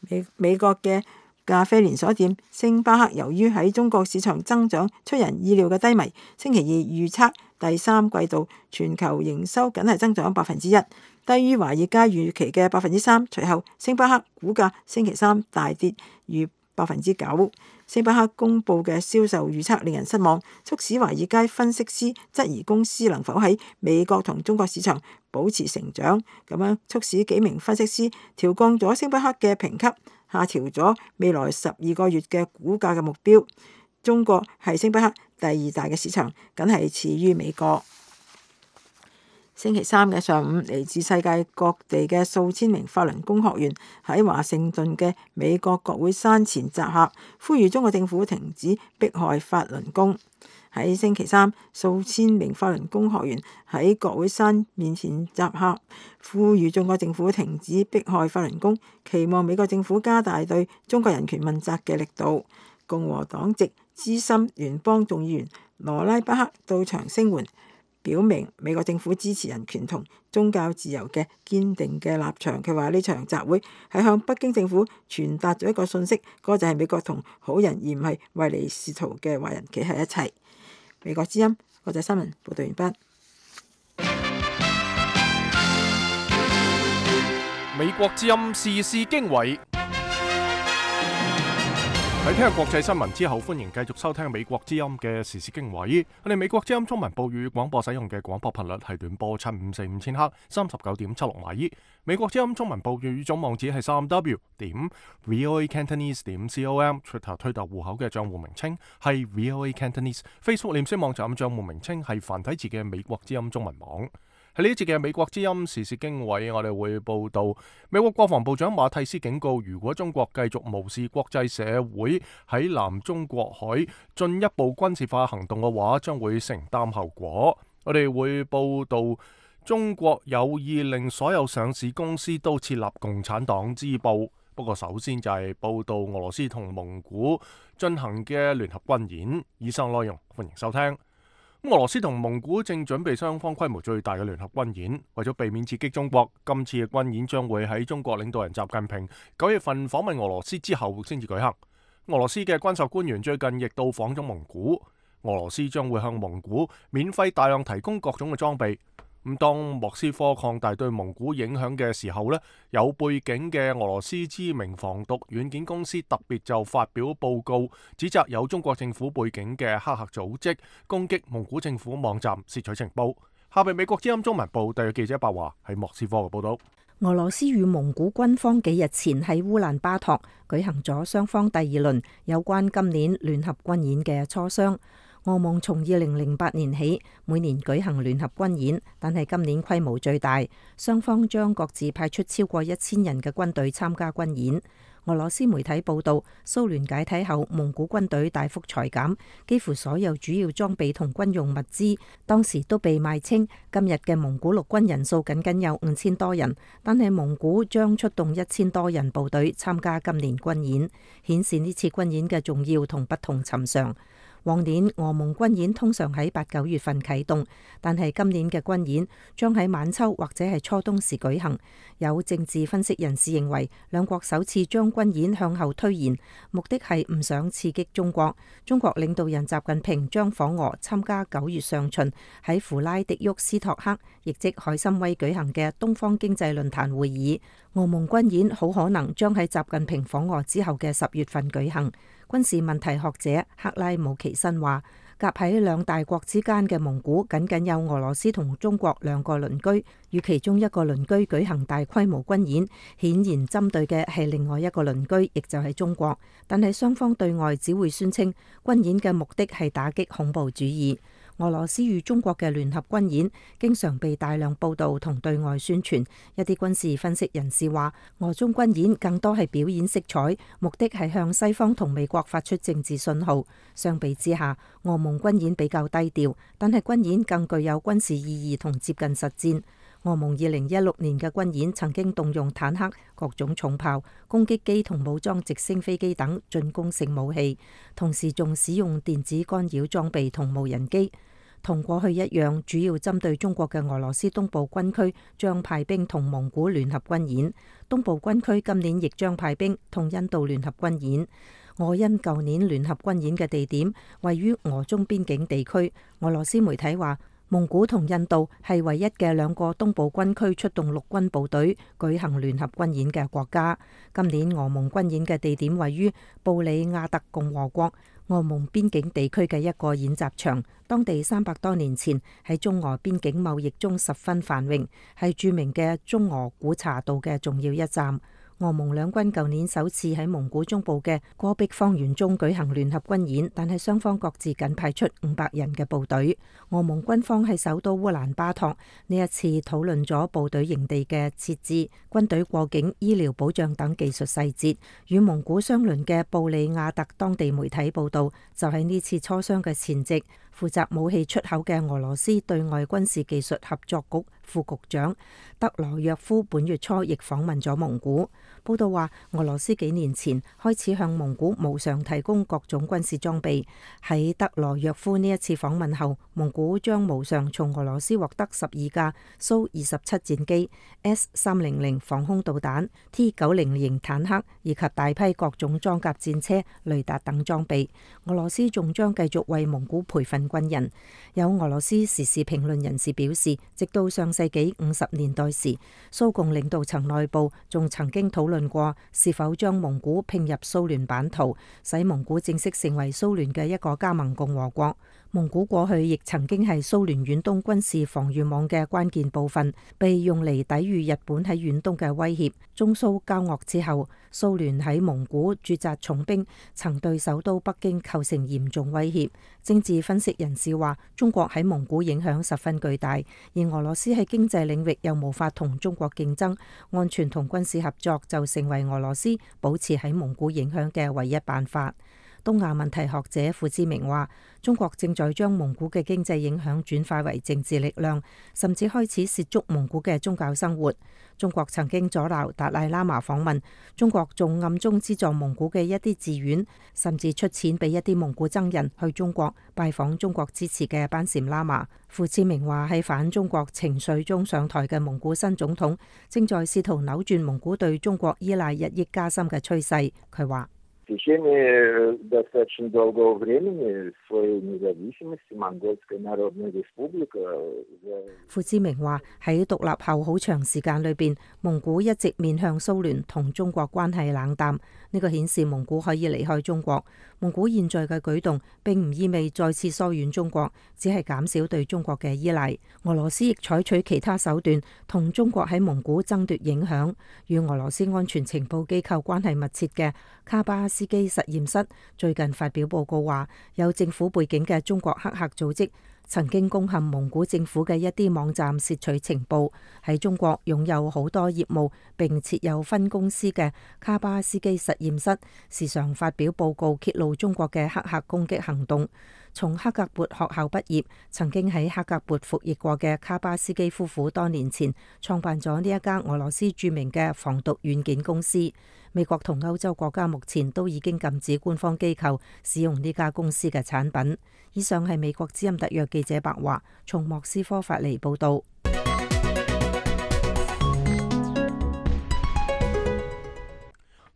美美國嘅咖啡連鎖店星巴克由於喺中國市場增長出人意料嘅低迷，星期二預測第三季度全球營收僅係增長百分之一，低於華爾街預期嘅百分之三。隨後星巴克股價星期三大跌逾百分之九。星巴克公佈嘅銷售預測令人失望，促使華爾街分析師質疑公司能否喺美國同中國市場保持成長，咁樣促使幾名分析師調降咗星巴克嘅評級，下調咗未來十二個月嘅股價嘅目標。中國係星巴克第二大嘅市場，僅係次於美國。星期三嘅上午，嚟自世界各地嘅數千名法輪功學員喺華盛頓嘅美國國會山前集合，呼籲中國政府停止迫害法輪功。喺星期三，數千名法輪功學員喺國會山面前集合，呼籲中國政府停止迫害法輪功，期望美國政府加大對中國人權問責嘅力度。共和黨籍資深聯邦眾議員羅拉巴克到場聲援，表明美國政府支持人權同宗教自由嘅堅定嘅立場。佢話呢場集會係向北京政府傳達咗一個訊息，嗰、那個、就係美國同好人而唔係唯利是圖嘅壞人企喺一齊。美國之音國際新聞報道完畢。美國之音時事經緯。喺聽日國際新聞之後，歡迎繼續收聽美國之音嘅時事經緯。我哋美國之音中文報語廣播使用嘅廣播頻率係短波七五四五千赫，三十九點七六米。美國之音中文報語總網址係三 w 點 voacantonese 點 com，Twitter 推特戶口嘅賬戶名稱係 voacantonese，Facebook 臉書網站賬戶名稱係繁體字嘅美國之音中文網。喺呢一節嘅美國之音時事經緯，我哋會報道美國國防部長馬蒂斯警告，如果中國繼續無視國際社會喺南中國海進一步軍事化行動嘅話，將會承擔後果。我哋會報道中國有意令所有上市公司都設立共產黨支部。不過首先就係報道俄羅斯同蒙古進行嘅聯合軍演。以上內容歡迎收聽。俄羅斯同蒙古正準備雙方規模最大嘅聯合軍演，為咗避免刺激中國，今次嘅軍演將會喺中國領導人習近平九月份訪問俄羅斯之後先至舉行。俄羅斯嘅軍售官員最近亦到訪咗蒙古，俄羅斯將會向蒙古免費大量提供各種嘅裝備。咁當莫斯科擴大對蒙古影響嘅時候呢，有背景嘅俄羅斯知名防毒軟件公司特別就發表報告，指責有中國政府背景嘅黑客組織攻擊蒙古政府網站竊取情報。下邊美國之音中文部特約記者白華喺莫斯科嘅報道。俄羅斯與蒙古軍方幾日前喺烏蘭巴托舉行咗雙方第二輪有關今年聯合軍演嘅磋商。俄蒙從二零零八年起每年舉行聯合軍演，但係今年規模最大，雙方將各自派出超過一千人嘅軍隊參加軍演。俄羅斯媒體報道，蘇聯解體後，蒙古軍隊大幅裁減，幾乎所有主要裝備同軍用物資當時都被賣清。今日嘅蒙古陸軍人數僅僅有五千多人，但係蒙古將出動一千多人部隊參加今年軍演，顯示呢次軍演嘅重要同不同尋常。往年俄蒙軍演通常喺八九月份啟動，但係今年嘅軍演將喺晚秋或者係初冬時舉行。有政治分析人士認為，兩國首次將軍演向後推延，目的係唔想刺激中國。中國領導人習近平將訪俄參加九月上旬喺弗拉迪沃斯托克，亦即海參崴舉行嘅東方經濟論壇會議。俄蒙軍演好可能將喺習近平訪俄之後嘅十月份舉行。軍事問題學者克拉姆奇申話，夾喺兩大國之間嘅蒙古僅僅有俄羅斯同中國兩個鄰居，與其中一個鄰居舉行大規模軍演，顯然針對嘅係另外一個鄰居，亦就係中國。但係雙方對外只會宣稱軍演嘅目的係打擊恐怖主義。俄羅斯與中國嘅聯合軍演經常被大量報導同對外宣傳。一啲軍事分析人士話，俄中軍演更多係表演色彩，目的係向西方同美國發出政治信號。相比之下，俄蒙軍演比較低調，但係軍演更具有軍事意義同接近實戰。俄蒙二零一六年嘅軍演曾經動用坦克、各種重炮、攻擊機同武裝直升飛機等進攻性武器，同時仲使用電子干擾裝備同無人機。同過去一樣，主要針對中國嘅俄羅斯東部軍區將派兵同蒙古聯合軍演。東部軍區今年亦將派兵同印度聯合軍演。俄印舊年聯合軍演嘅地點位於俄中邊境地區。俄羅斯媒體話，蒙古同印度係唯一嘅兩個東部軍區出動陸軍部隊舉行聯合軍演嘅國家。今年俄蒙軍演嘅地點位於布里亞特共和國俄蒙邊境地區嘅一個演習場，當地三百多年前喺中俄邊境貿易中十分繁榮，係著名嘅中俄古茶道嘅重要一站。俄蒙兩軍舊年首次喺蒙古中部嘅戈壁荒原中舉行聯合軍演，但係雙方各自僅派出五百人嘅部隊。俄蒙軍方喺首都烏蘭巴托呢一次討論咗部隊營地嘅設置、軍隊過境、醫療保障等技術細節。與蒙古相鄰嘅布里亞特當地媒體報道，就喺呢次磋商嘅前夕，負責武器出口嘅俄羅斯對外軍事技術合作局副局長德羅約夫本月初亦訪問咗蒙古。報道話，俄羅斯幾年前開始向蒙古無償提供各種軍事裝備。喺德羅約夫呢一次訪問後，蒙古將無償從俄羅斯獲得十二架蘇二十七戰機、S 三零零防空導彈、T 九零型坦克以及大批各種裝甲戰車、雷達等裝備。俄羅斯仲將繼續為蒙古培訓軍人。有俄羅斯時事評論人士表示，直到上世紀五十年代時，蘇共領導層內部仲曾經討論過是否將蒙古併入蘇聯版圖，使蒙古正式成為蘇聯嘅一個加盟共和國。蒙古過去亦曾經係蘇聯遠東軍事防禦網嘅關鍵部分，被用嚟抵禦日本喺遠東嘅威脅。中蘇交惡之後，蘇聯喺蒙古駐紮重兵，曾對首都北京構成嚴重威脅。政治分析人士話，中國喺蒙古影響十分巨大，而俄羅斯喺經濟領域又無法同中國競爭，安全同軍事合作就成為俄羅斯保持喺蒙古影響嘅唯一辦法。東亞問題學者傅志明話，中國正在將蒙古嘅經濟影響轉化為政治力量，甚至開始涉足蒙古嘅宗教生活。中國曾經阻撓達賴喇嘛訪問，中國仲暗中資助蒙古嘅一啲寺院，甚至出錢俾一啲蒙古僧人去中國拜訪中國支持嘅班禪喇嘛。傅志明話，喺反中國情緒中上台嘅蒙古新總統，正在試圖扭轉蒙古對中國依賴日益加深嘅趨勢。佢話，В течение достаточно долгого времени своей независимости Монгольская Народная Республика. 傅志明話，喺獨立後好長時間裏邊，蒙古一直面向蘇聯，同中國關係冷淡。呢個顯示蒙古可以離開中國。蒙古現在嘅舉動並唔意味再次疏遠中國，只係減少對中國嘅依賴。俄羅斯亦採取其他手段同中國喺蒙古爭奪影響。與俄羅斯安全情報機構關係密切嘅卡巴斯基實驗室最近發表報告話，有政府背景嘅中國黑客組織曾經攻陷蒙古政府嘅一啲網站，竊取情報。喺中國擁有好多業務並設有分公司嘅卡巴斯基實驗室，時常發表報告揭露中國嘅黑客攻擊行動。從克格勃學校畢業，曾經喺克格勃服役過嘅卡巴斯基夫婦多年前創辦咗呢一家俄羅斯著名嘅防毒軟件公司。美國同歐洲國家目前都已經禁止官方機構使用呢家公司嘅產品。以上係美國之音特約記者白華從莫斯科發嚟報道。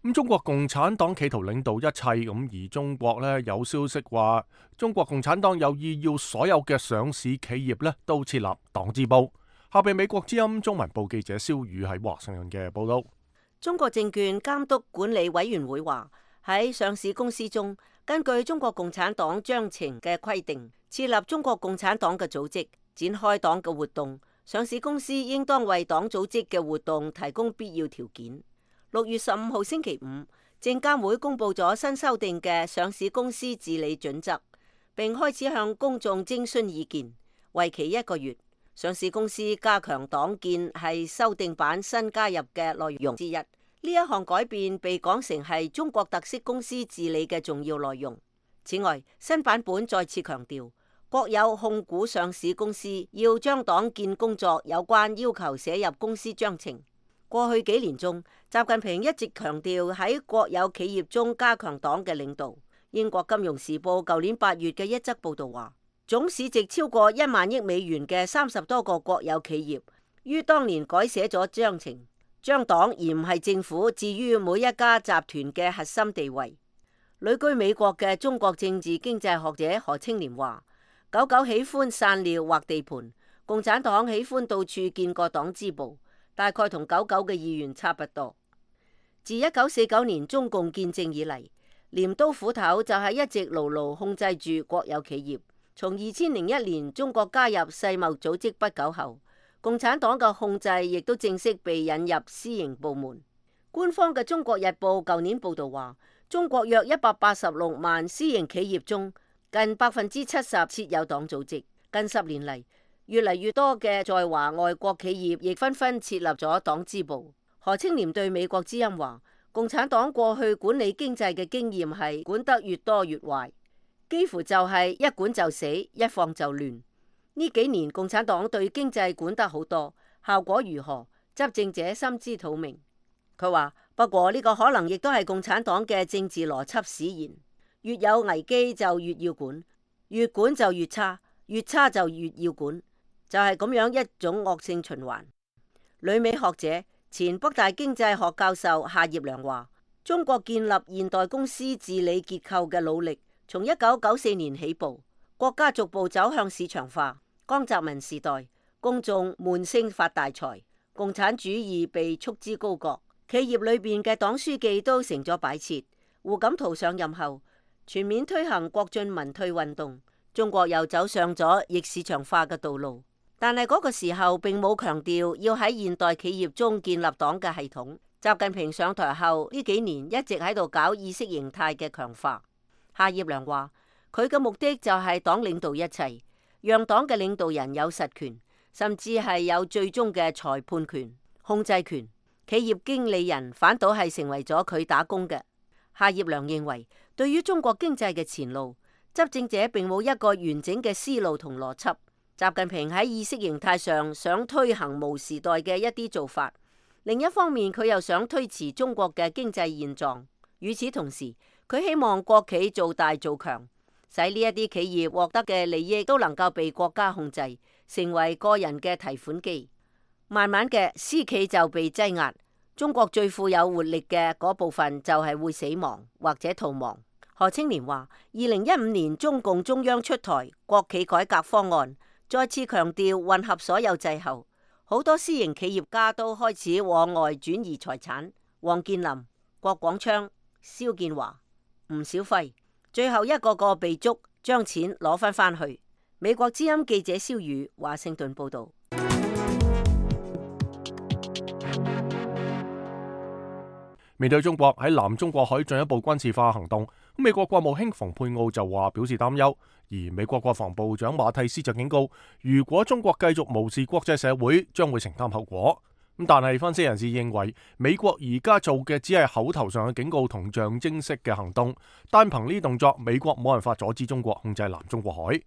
咁中國共產黨企圖領導一切，咁而中國呢，有消息話，中國共產黨有意要所有嘅上市企業呢都設立黨支部。下邊美國之音中文部記者蕭宇喺華盛頓嘅報道。中國證券監督管理委員會話，喺上市公司中，根據中國共產黨章程嘅規定，設立中國共產黨嘅組織，展開黨嘅活動。上市公司應當為黨組織嘅活動提供必要條件。六月十五號星期五，證監會公布咗新修訂嘅上市公司治理準則，並開始向公眾徵詢意見，為期一個月。上市公司加強黨建係修訂版新加入嘅內容之一。呢一項改變被講成係中國特色公司治理嘅重要內容。此外，新版本再次強調，國有控股上市公司要將黨建工作有關要求寫入公司章程。過去幾年中，習近平一直強調喺國有企業中加強黨嘅領導。英國金融時報舊年八月嘅一則報道話，總市值超過一萬億美元嘅三十多個國有企業，於當年改寫咗章程，將黨而唔係政府置於每一家集團嘅核心地位。旅居美國嘅中國政治經濟學者何清濂話，狗狗喜歡散尿或地盤，共產黨喜歡到處建個黨支部，大概同狗狗嘅意願差不多。自一九四九年中共建政以嚟，鐮刀斧頭就係一直牢牢控制住國有企業。從二千零一年中國加入世貿組織不久後，共產黨嘅控制亦都正式被引入私營部門。官方嘅《中國日報》舊年報道話，中國約一百八十六萬私營企業中，近百分之七十設有黨組織。近十年嚟，越嚟越多嘅在華外國企業亦紛紛設立咗黨支部。何清濂對美國之音話，共產黨過去管理經濟嘅經驗係管得越多越壞。幾乎就係一管就死，一放就亂。呢幾年共產黨對經濟管得好多，效果如何？執政者心知肚明。佢話不過呢個可能亦都係共產黨嘅政治邏輯使然，越有危機就越要管，越管就越差，越差就越要管，就係咁樣一種惡性循環。旅美學者前北大經濟學教授夏業良話，中國建立現代公司治理結構嘅努力從一九九四年起步，國家逐步走向市場化。江澤民時代，公眾悶聲發大財，共產主義被束之高閣，企業裏邊嘅黨書記都成咗擺設。胡錦濤上任後，全面推行國進民退運動，中國又走上咗逆市場化嘅道路。但係嗰個時候並冇強調要喺現代企業中建立黨嘅系統。習近平上台後呢幾年一直喺度搞意識形態嘅強化。夏業良話，佢嘅目的就係黨領導一切，讓黨嘅領導人有實權，甚至係有最終嘅裁判權、控制權。企業經理人反倒係成為咗佢打工嘅。夏業良認為，對於中國經濟嘅前路，執政者並冇一個完整嘅思路同邏輯。習近平喺意識形態上想推行毛時代嘅一啲做法，另一方面佢又想推遲中國嘅經濟現狀。與此同時，佢希望國企做大做強，使呢一啲企業獲得嘅利益都能夠被國家控制，成為個人嘅提款機。慢慢嘅，私企就被擠壓，中國最富有活力嘅嗰部分就係會死亡或者逃亡。何青年話，二零一五年中共中央出台國企改革方案，再次強調混合所有制後，好多私營企業家都開始往外轉移財產。王健林、郭廣昌、蕭建華、吳小輝，最後一個個被捉，將錢攞翻返去。美國之音記者蕭宇華盛頓報道。面對中國喺南中國海進一步軍事化行動，美國國務卿蓬佩奧就話表示擔憂，而美國國防部長馬蒂斯就警告，如果中國繼續無視國際社會，將會承擔後果。咁但係分析人士認為，美國而家做嘅只係口頭上嘅警告同象徵式嘅行動，單憑呢啲動作，美國冇辦法阻止中國控制南中國海。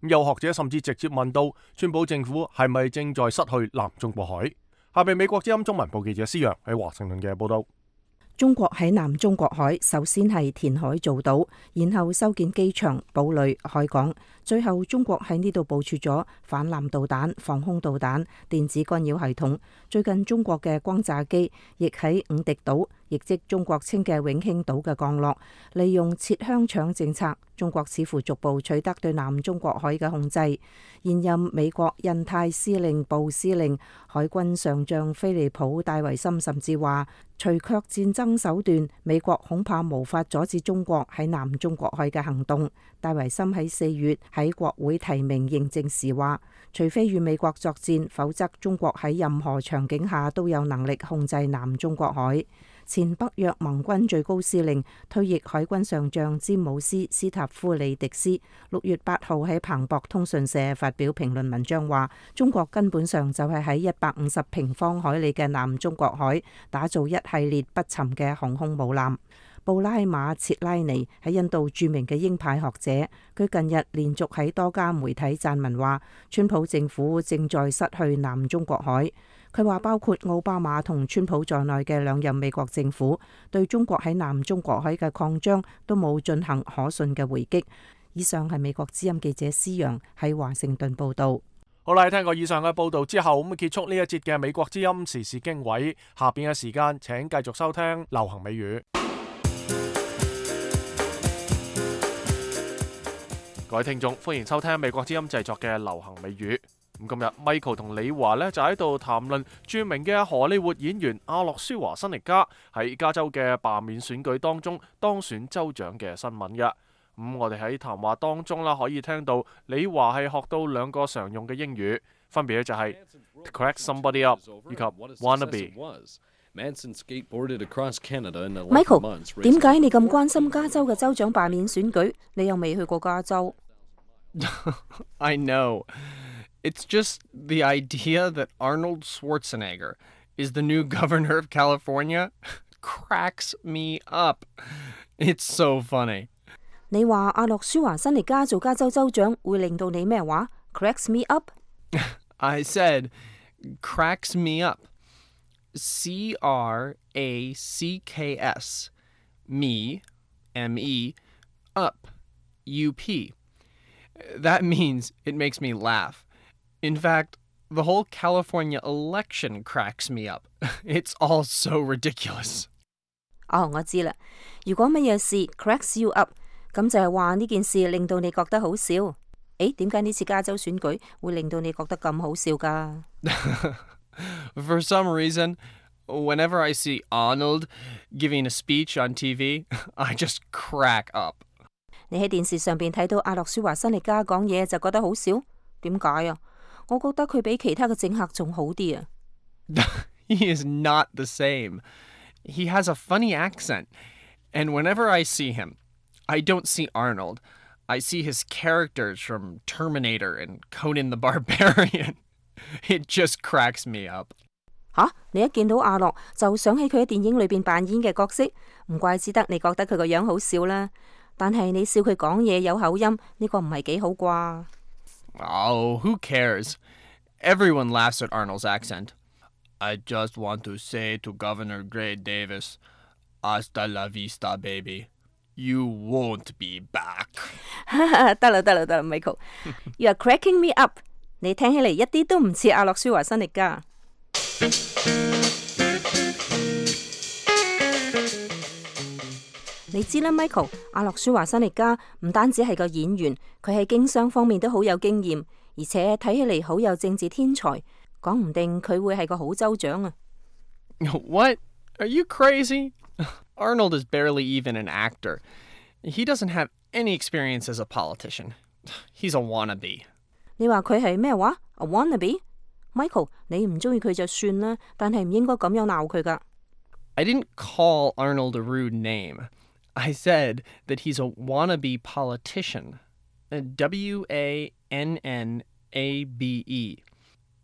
有學者甚至直接問到，川普政府係咪正在失去南中國海？下邊美國之音中文部記者施陽喺華盛頓嘅報道。中國喺南中國海首先係填海造島，然後修建機場、堡壘、海港，最後中國喺呢度部署咗反艦導彈、防空導彈、電子干擾系統。最近中國嘅轟炸機亦喺五敵島，亦即中國稱嘅永興島嘅降落，利用切香腸政策，中國似乎逐步取得對南中國海嘅控制。現任美國印太司令部司令海軍上將菲利普戴維森甚至話，除卻戰爭手段，美國恐怕無法阻止中國喺南中國海嘅行動。戴維森喺四月喺國會提名認證時話，除非與美國作戰，否則中國喺任何場景下都有能力控制南中國海。前北約盟軍最高司令、退役海軍上將詹姆斯·斯塔夫里迪斯六月八號喺彭博通訊社發表評論文章話，中國根本上就係喺一百五十平方海里嘅南中國海打造一系列不沉嘅航空母艦。布拉馬切拉尼係印度著名嘅鷹派學者，佢近日連續喺多家媒體撰文話，川普政府正在失去南中國海。佢話包括奧巴馬同川普在內嘅兩任美國政府對中國喺南中國海嘅擴張都冇進行可信嘅回擊。以上係美國之音記者施陽喺華盛頓報道。好啦，聽過以上嘅報道之後，咁結束呢一節嘅美國之音時事經緯。下邊嘅時間，請繼續收聽流行美語。各位聽眾，歡迎收聽美國之音製作嘅流行美語。咁今日 Michael 同李華呢就喺度談論著名嘅荷里活演員阿諾舒華辛力加喺加州嘅罷免選舉當中當選州長嘅新聞嘅。咁、嗯、我哋喺談話當中啦，可以聽到李華係學到兩個常用嘅英語，分別咧就係 to crack somebody up 以及 wannabe。Michael， 點解你咁關心加州嘅州長罷免選舉？你又未去過加州。I know. It's just the idea that Arnold Schwarzenegger is the new governor of California cracks me up. It's so funny. 你話阿諾舒華辛力加做加州州長會令到你咩話 ？Cracks me up? I said cracks me up. C R A C K S, me, M E, up, U P. That means it makes me laugh. In fact, the whole California election cracks me up. It's all so ridiculous. 哦，我知啦。如果乜嘢事 cracks you up， 咁就係話呢件事令到你覺得好笑。誒，點解呢次加州選舉會令到你覺得咁好笑㗎？ For some reason, whenever I see Arnold giving a speech on T V, I just crack up. 你喺電視上邊睇到阿諾舒華辛力加講嘢就覺得好笑？點解啊？我覺得佢比其他嘅政客仲好啲啊。He is not the same. He has a funny accent. And whenever I see him, I don't see Arnold. I see his characters from Terminator and Conan the Barbarian. It just cracks me up. 吓，你一見到阿諾就想起佢喺電影裏邊扮演嘅角色，唔怪之得你覺得佢個樣好笑啦。但係你笑佢講嘢有口音，呢個唔係幾好啩？ Oh, who cares? Everyone laughs at Arnold's accent. I just want to say to Governor Gray Davis, hasta la vista, baby. You won't be back. 得啦得啦得啦 ，Michael， You are cracking me up。你聽起嚟一啲都唔似阿諾舒華辛力加。你知啦 ，Michael， 阿諾舒華辛力加唔單止係個演員，佢喺經商方面都好有經驗，而且睇起嚟好有政治天才，講唔定佢會係個好州長啊。What? Are you crazy? Arnold is barely even an actor. He doesn't have any experience as a politician. He's a wannabe. 你話佢係咩話 ？A wannabe？Michael， 你唔中意佢就算啦，但係唔應該咁樣鬧佢噶。I didn't call Arnold a rude name. I said that he's a wannabe politician. W A N N A B E.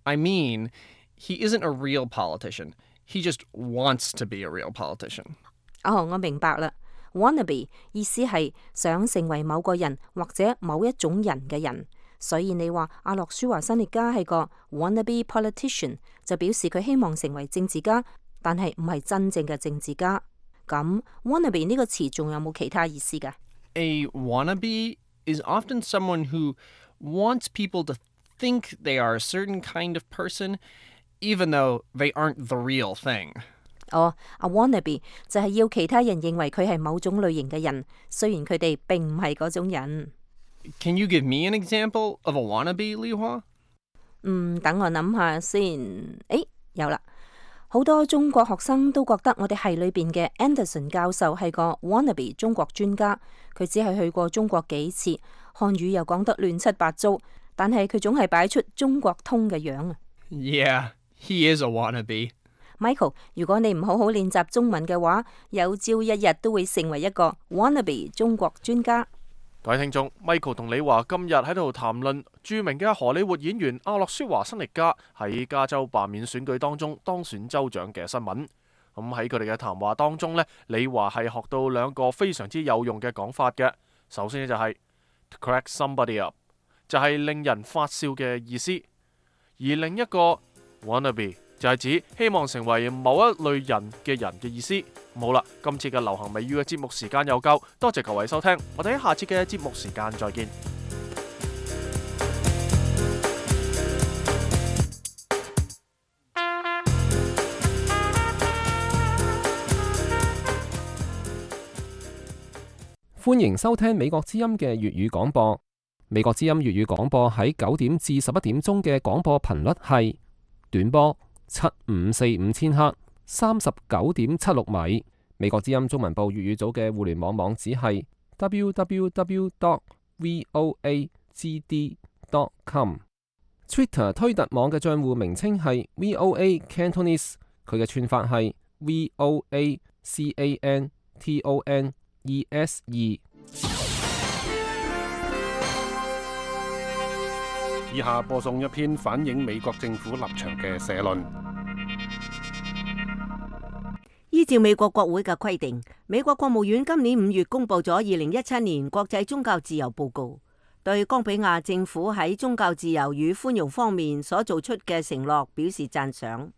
I mean, he isn't a real politician. He just wants to be a real politician. 哦，我明白啦。Wannabe 意思係想成為某個人或者某一種人嘅人，所以你話阿諾舒華辛力加係個 wannabe politician， 就表示佢希望成為政治家，但係唔係真正嘅政治家。咁 wannabe 呢個詞仲有冇其他意思㗎？ A wannabe is often someone who wants people to think they are a certain kind of person, even though they aren't the real thing. 哦，阿 wannabe 就係要其他人認為佢係某種類型嘅人，雖然佢哋並唔係嗰種人。Can you give me an example of a wannabe, Li Hua? 嗯，等我諗下先。誒，有啦。好多中國學生都覺得我哋系裏邊嘅 Anderson 教授係個 wannabe 中國專家，佢只係去過中國幾次，漢語又講得亂七八糟，但係佢總係擺出中國通嘅樣啊。Yeah, he is a wannabe. Michael， 如果你唔好好練習中文嘅話，有朝一日都會成為一個 wannabe 中國專家。各位聽眾 ，Michael 同李華今日喺度談論著名嘅荷里活演員阿諾舒華辛力加喺加州罷免選舉當中當選州長嘅新聞。咁喺佢哋嘅談話當中呢，李華係學到兩個非常之有用嘅講法嘅。首先呢就係 to crack somebody up， 就係令人發笑嘅意思；而另一個 wannabe 就係指希望成為某一類人嘅人嘅意思。好啦，今次嘅流行美語嘅節目時間又夠，多謝各位收聽，我哋喺下次嘅節目時間再見。歡迎收聽美國之音嘅粵語廣播。美國之音粵語廣播喺九點至十一點鐘嘅廣播頻率係短波七五四五千赫，三十九點七六米。美國之音中文部粵語組嘅互聯網網址係 w w w dot voa g d dot com。Twitter 推特網嘅賬戶名稱係 V O A Cantonese， 佢嘅串法係 V O A C A N T O N E S E。以下播送一篇反映美國政府立場嘅社論。依照美國國會嘅規定，美國國務院今年五月公布咗二零一七年國際宗教自由報告，對岡比亞政府喺宗教自由與寬容方面所做出嘅承諾表示讚賞。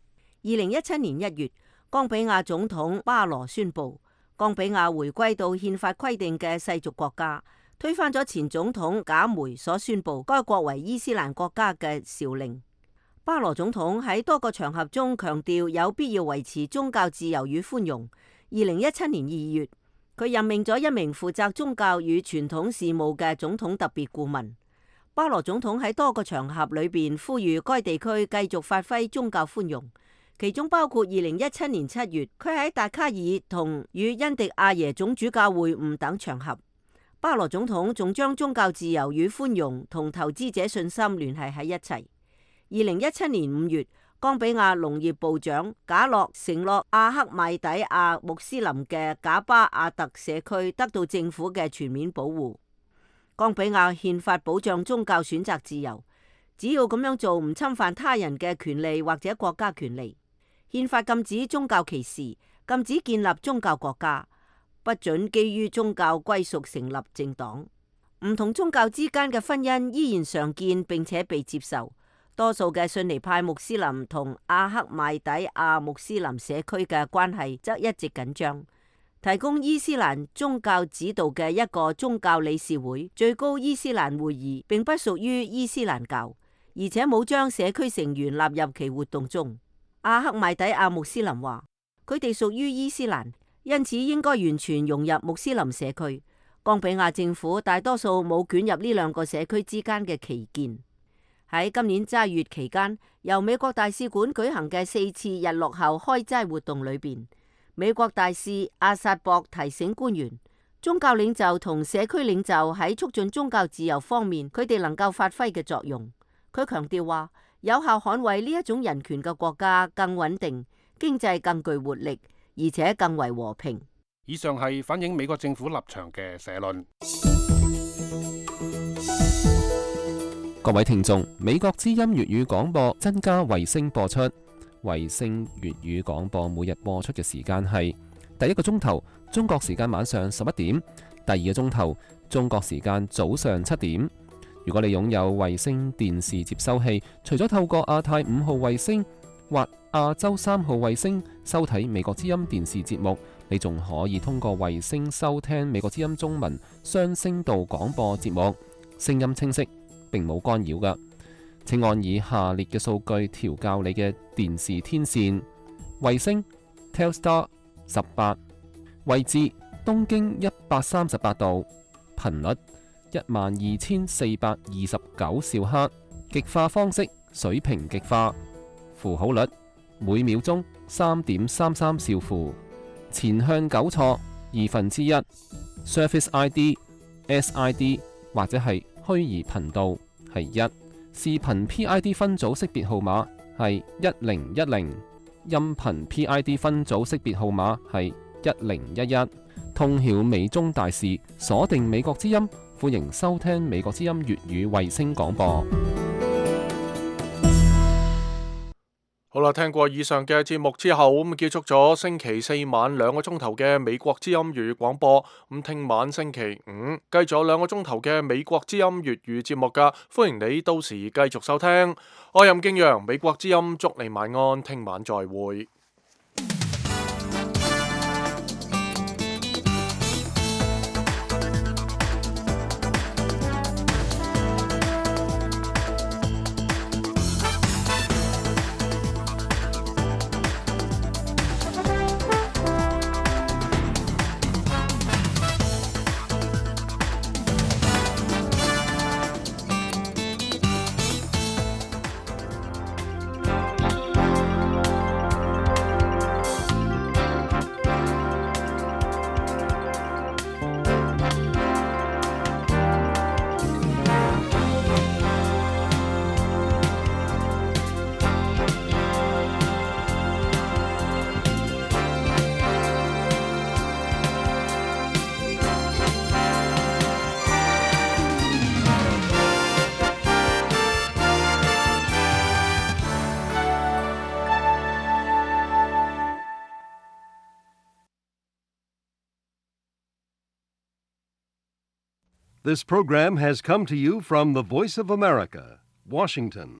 二零一七年一月，岡比亞總統巴羅宣布，岡比亞回歸到憲法規定嘅世俗國家，推翻咗前總統賈梅所宣布該國為伊斯蘭國家嘅詔令。巴羅總統喺多個場合中強調有必要維持宗教自由與寬容。二零一七年二月，佢任命咗一名負責宗教與傳統事務嘅總統特別顧問。巴羅總統喺多個場合裏邊呼籲該地區繼續發揮宗教寬容，其中包括二零一七年七月，佢喺達卡爾同與恩迪亞耶總主教會晤等場合。巴羅總統仲將宗教自由與寬容同投資者信心聯繫喺一齊。二零一七年五月，岡比亞農業部長賈洛承諾阿克米底亞穆斯林嘅賈巴亞特社區得到政府嘅全面保護。岡比亞憲法保障宗教選擇自由，只要咁樣做唔侵犯他人嘅權利或者國家權利。憲法禁止宗教歧視，禁止建立宗教國家，不准基於宗教歸屬成立政黨。唔同宗教之間嘅婚姻依然常見並且被接受。多數嘅遜尼派穆斯林同阿克邁底亞穆斯林社區嘅關係則一直緊張。提供伊斯蘭宗教指導嘅一個宗教理事會最高伊斯蘭會議並不屬於伊斯蘭教，而且冇將社區成員納入其活動中。阿克邁底亞穆斯林話，佢哋屬於伊斯蘭，因此應該完全融入穆斯林社區。岡比亞政府大多數冇捲入呢兩個社區之間嘅歧見。喺今年齋月期間，由美國大使館舉行嘅四次日落後開齋活動裏邊，美國大使阿薩博提醒官員，宗教領袖同社區領袖喺促進宗教自由方面，佢哋能夠發揮嘅作用。佢強調話，有效捍衛呢一種人權嘅國家更穩定，經濟更具活力，而且更為和平。以上係反映美國政府立場嘅社論。各位聽眾，美國之音粵語廣播增加衛星播出。衛星粵語廣播每日播出嘅時間係第一個鐘頭中國時間晚上十一點，第二個鐘頭中國時間早上七點。如果你擁有衛星電視接收器，除咗透過亞太五號衛星或亞洲三號衛星收睇美國之音電視節目，你仲可以通過衛星收聽美國之音中文雙聲道廣播節目，聲音清晰，並冇干擾㗎。請按以下列嘅數據調校你嘅電視天線：衛星 Telstar 十八，位置東經一百三十八度，頻率一萬二千四百二十九兆赫，極化方式水平極化，符號率每秒鐘三點三三兆符，前向糾錯二分之一 ，Service I D S I D 或者係虛擬頻道係一，視頻 P I D 分組識別號碼係一零一零，音頻 P I D 分組識別號碼係一零一一。通曉美中大事，鎖定美國之音，歡迎收聽美國之音粵語衛星廣播。好啦，聽過以上嘅節目之後，咁結束咗星期四晚兩個鐘頭嘅美國之音粵語廣播。咁聽晚星期五繼續兩個鐘頭嘅美國之音粵語節目噶，歡迎你到時繼續收聽。我任敬陽，美國之音祝你晚安，聽晚再會。This program has come to you from the Voice of America, Washington.